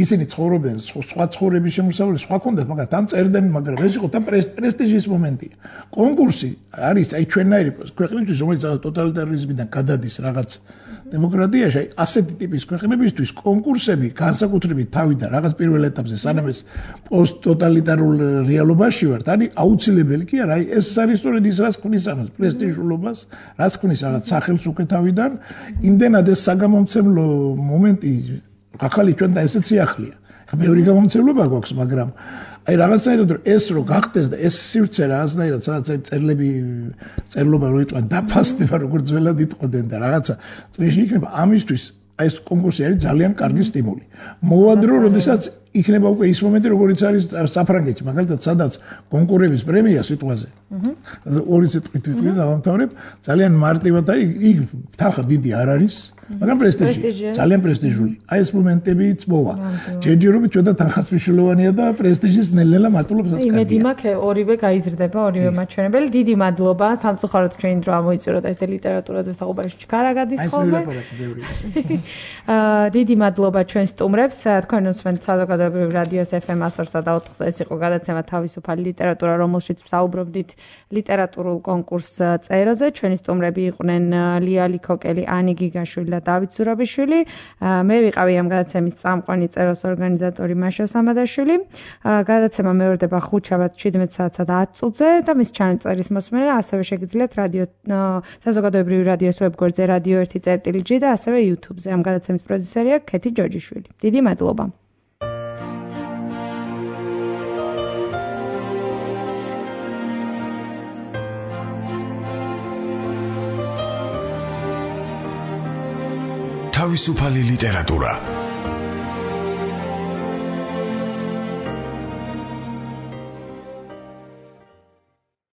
S1: ისინი ცხოვრობენ სხვა ცხოვრების შემოსავალი სხვა კონდათ მაგრამ თან წერდნენ მაგრამ ეს იყო თან პრესტიჟის მომენტია კონკურსი არის აი ჩვენნაირი ქვეყნისთვის რომელიც ტოტალიტარიზმიდან გადადის რაღაც დემოკრატიაში ასეთი ტიპის ქვეყნებისთვის კონკურსები განსაკუთრებით თავიდან რაღაც პირველ ეტაპზე სანამ ეს პოსტტოტალიტარულ რეალობაში ვართ, არის აუცილებელი კი არა, ეს არის სწორედ ის რაც ქმნის ამას პრესტიჟულობას, რაც ქმნის რაღაც სახელს უკეთავიდან, იმდენად ეს საგამომცემლო მომენტი ახალი ჩვენთან ესეც ახლია. ბევრი გამომცემლობა გვაქვს, მაგრამ აი რაღაცნაირად ეს რო გახდეს და ეს სივრცე რაღაცნაირად სადაც აი წერლები წერლობა რო იტყვა დაფასდება როგორც ძველად იტყოდნენ და რაღაცა წრეში იქნება ამისთვის აი ეს კონკურსი არის ძალიან კარგი სტიმული. მოვადრო, როდესაც იქნება უკვე ის მომენტი, როგორც არის საფრანგეთში, მაგალითად, სადაც კონკურების პრემია სიტყვაზე. აჰა. ორი სიტყვით ვიტყვი და დავამთავრებ, ძალიან მარტივად არის, იქ თანხა დიდი არ არის, მაგრამ პრესტიჟი, ძალიან პრესტიჟული. აი ეს მომენტებიც მოვა. ჯერჯერობით ჩვენ და თანხაც მნიშვნელოვანია და პრესტიჟის ნელ-ნელა მარტულობსაც კარგია.
S2: იმედი მაქვს, ორივე გაიზრდება, ორივე მაჩვენებელი. დიდი მადლობა, სამწუხაროდ ჩვენი დრო ამოიწურა და ესე ლიტერატურაზე საუბარში ჩქარა გადის ხოლმე. აა დიდი მადლობა ჩვენ სტუმრებს, თქვენ უსმენთ საზოგადოებრივ რადიოს ეფ ემ ათსა და ოთხზე, ეს იყო გადაცემა თავისუფალი ლიტერატურა, რომელშიც ვსაუბრობდით ლიტერატურულ კონკურს წეროზე. ჩვენი სტუმრები იყვნენ ლია ლიქოკელი, ანი გიგაშვილი და დავით ზურაბიშვილი. მე ვიყავი ამ გადაცემის წამყვანი წეროს ორგანიზატორი მაშა სამადაშვილი. გადაცემა მეორდება ხუთშაბათს შვიდმეტ საათსა და ათ წუთზე და მის ჩანაწერის მოსმენა ასევე შეგიძლიათ რადიო საზოგადოებრივი რადიოს ვებგვერდზე რადიო ერთი წერტილი ჯი და ასევე YouTube-ზე. ამ გადაცემის პროდიუსერია ქეთი ჯორჯიშვილი. დიდი მადლობა.
S5: თავისუფალი ლიტერატურა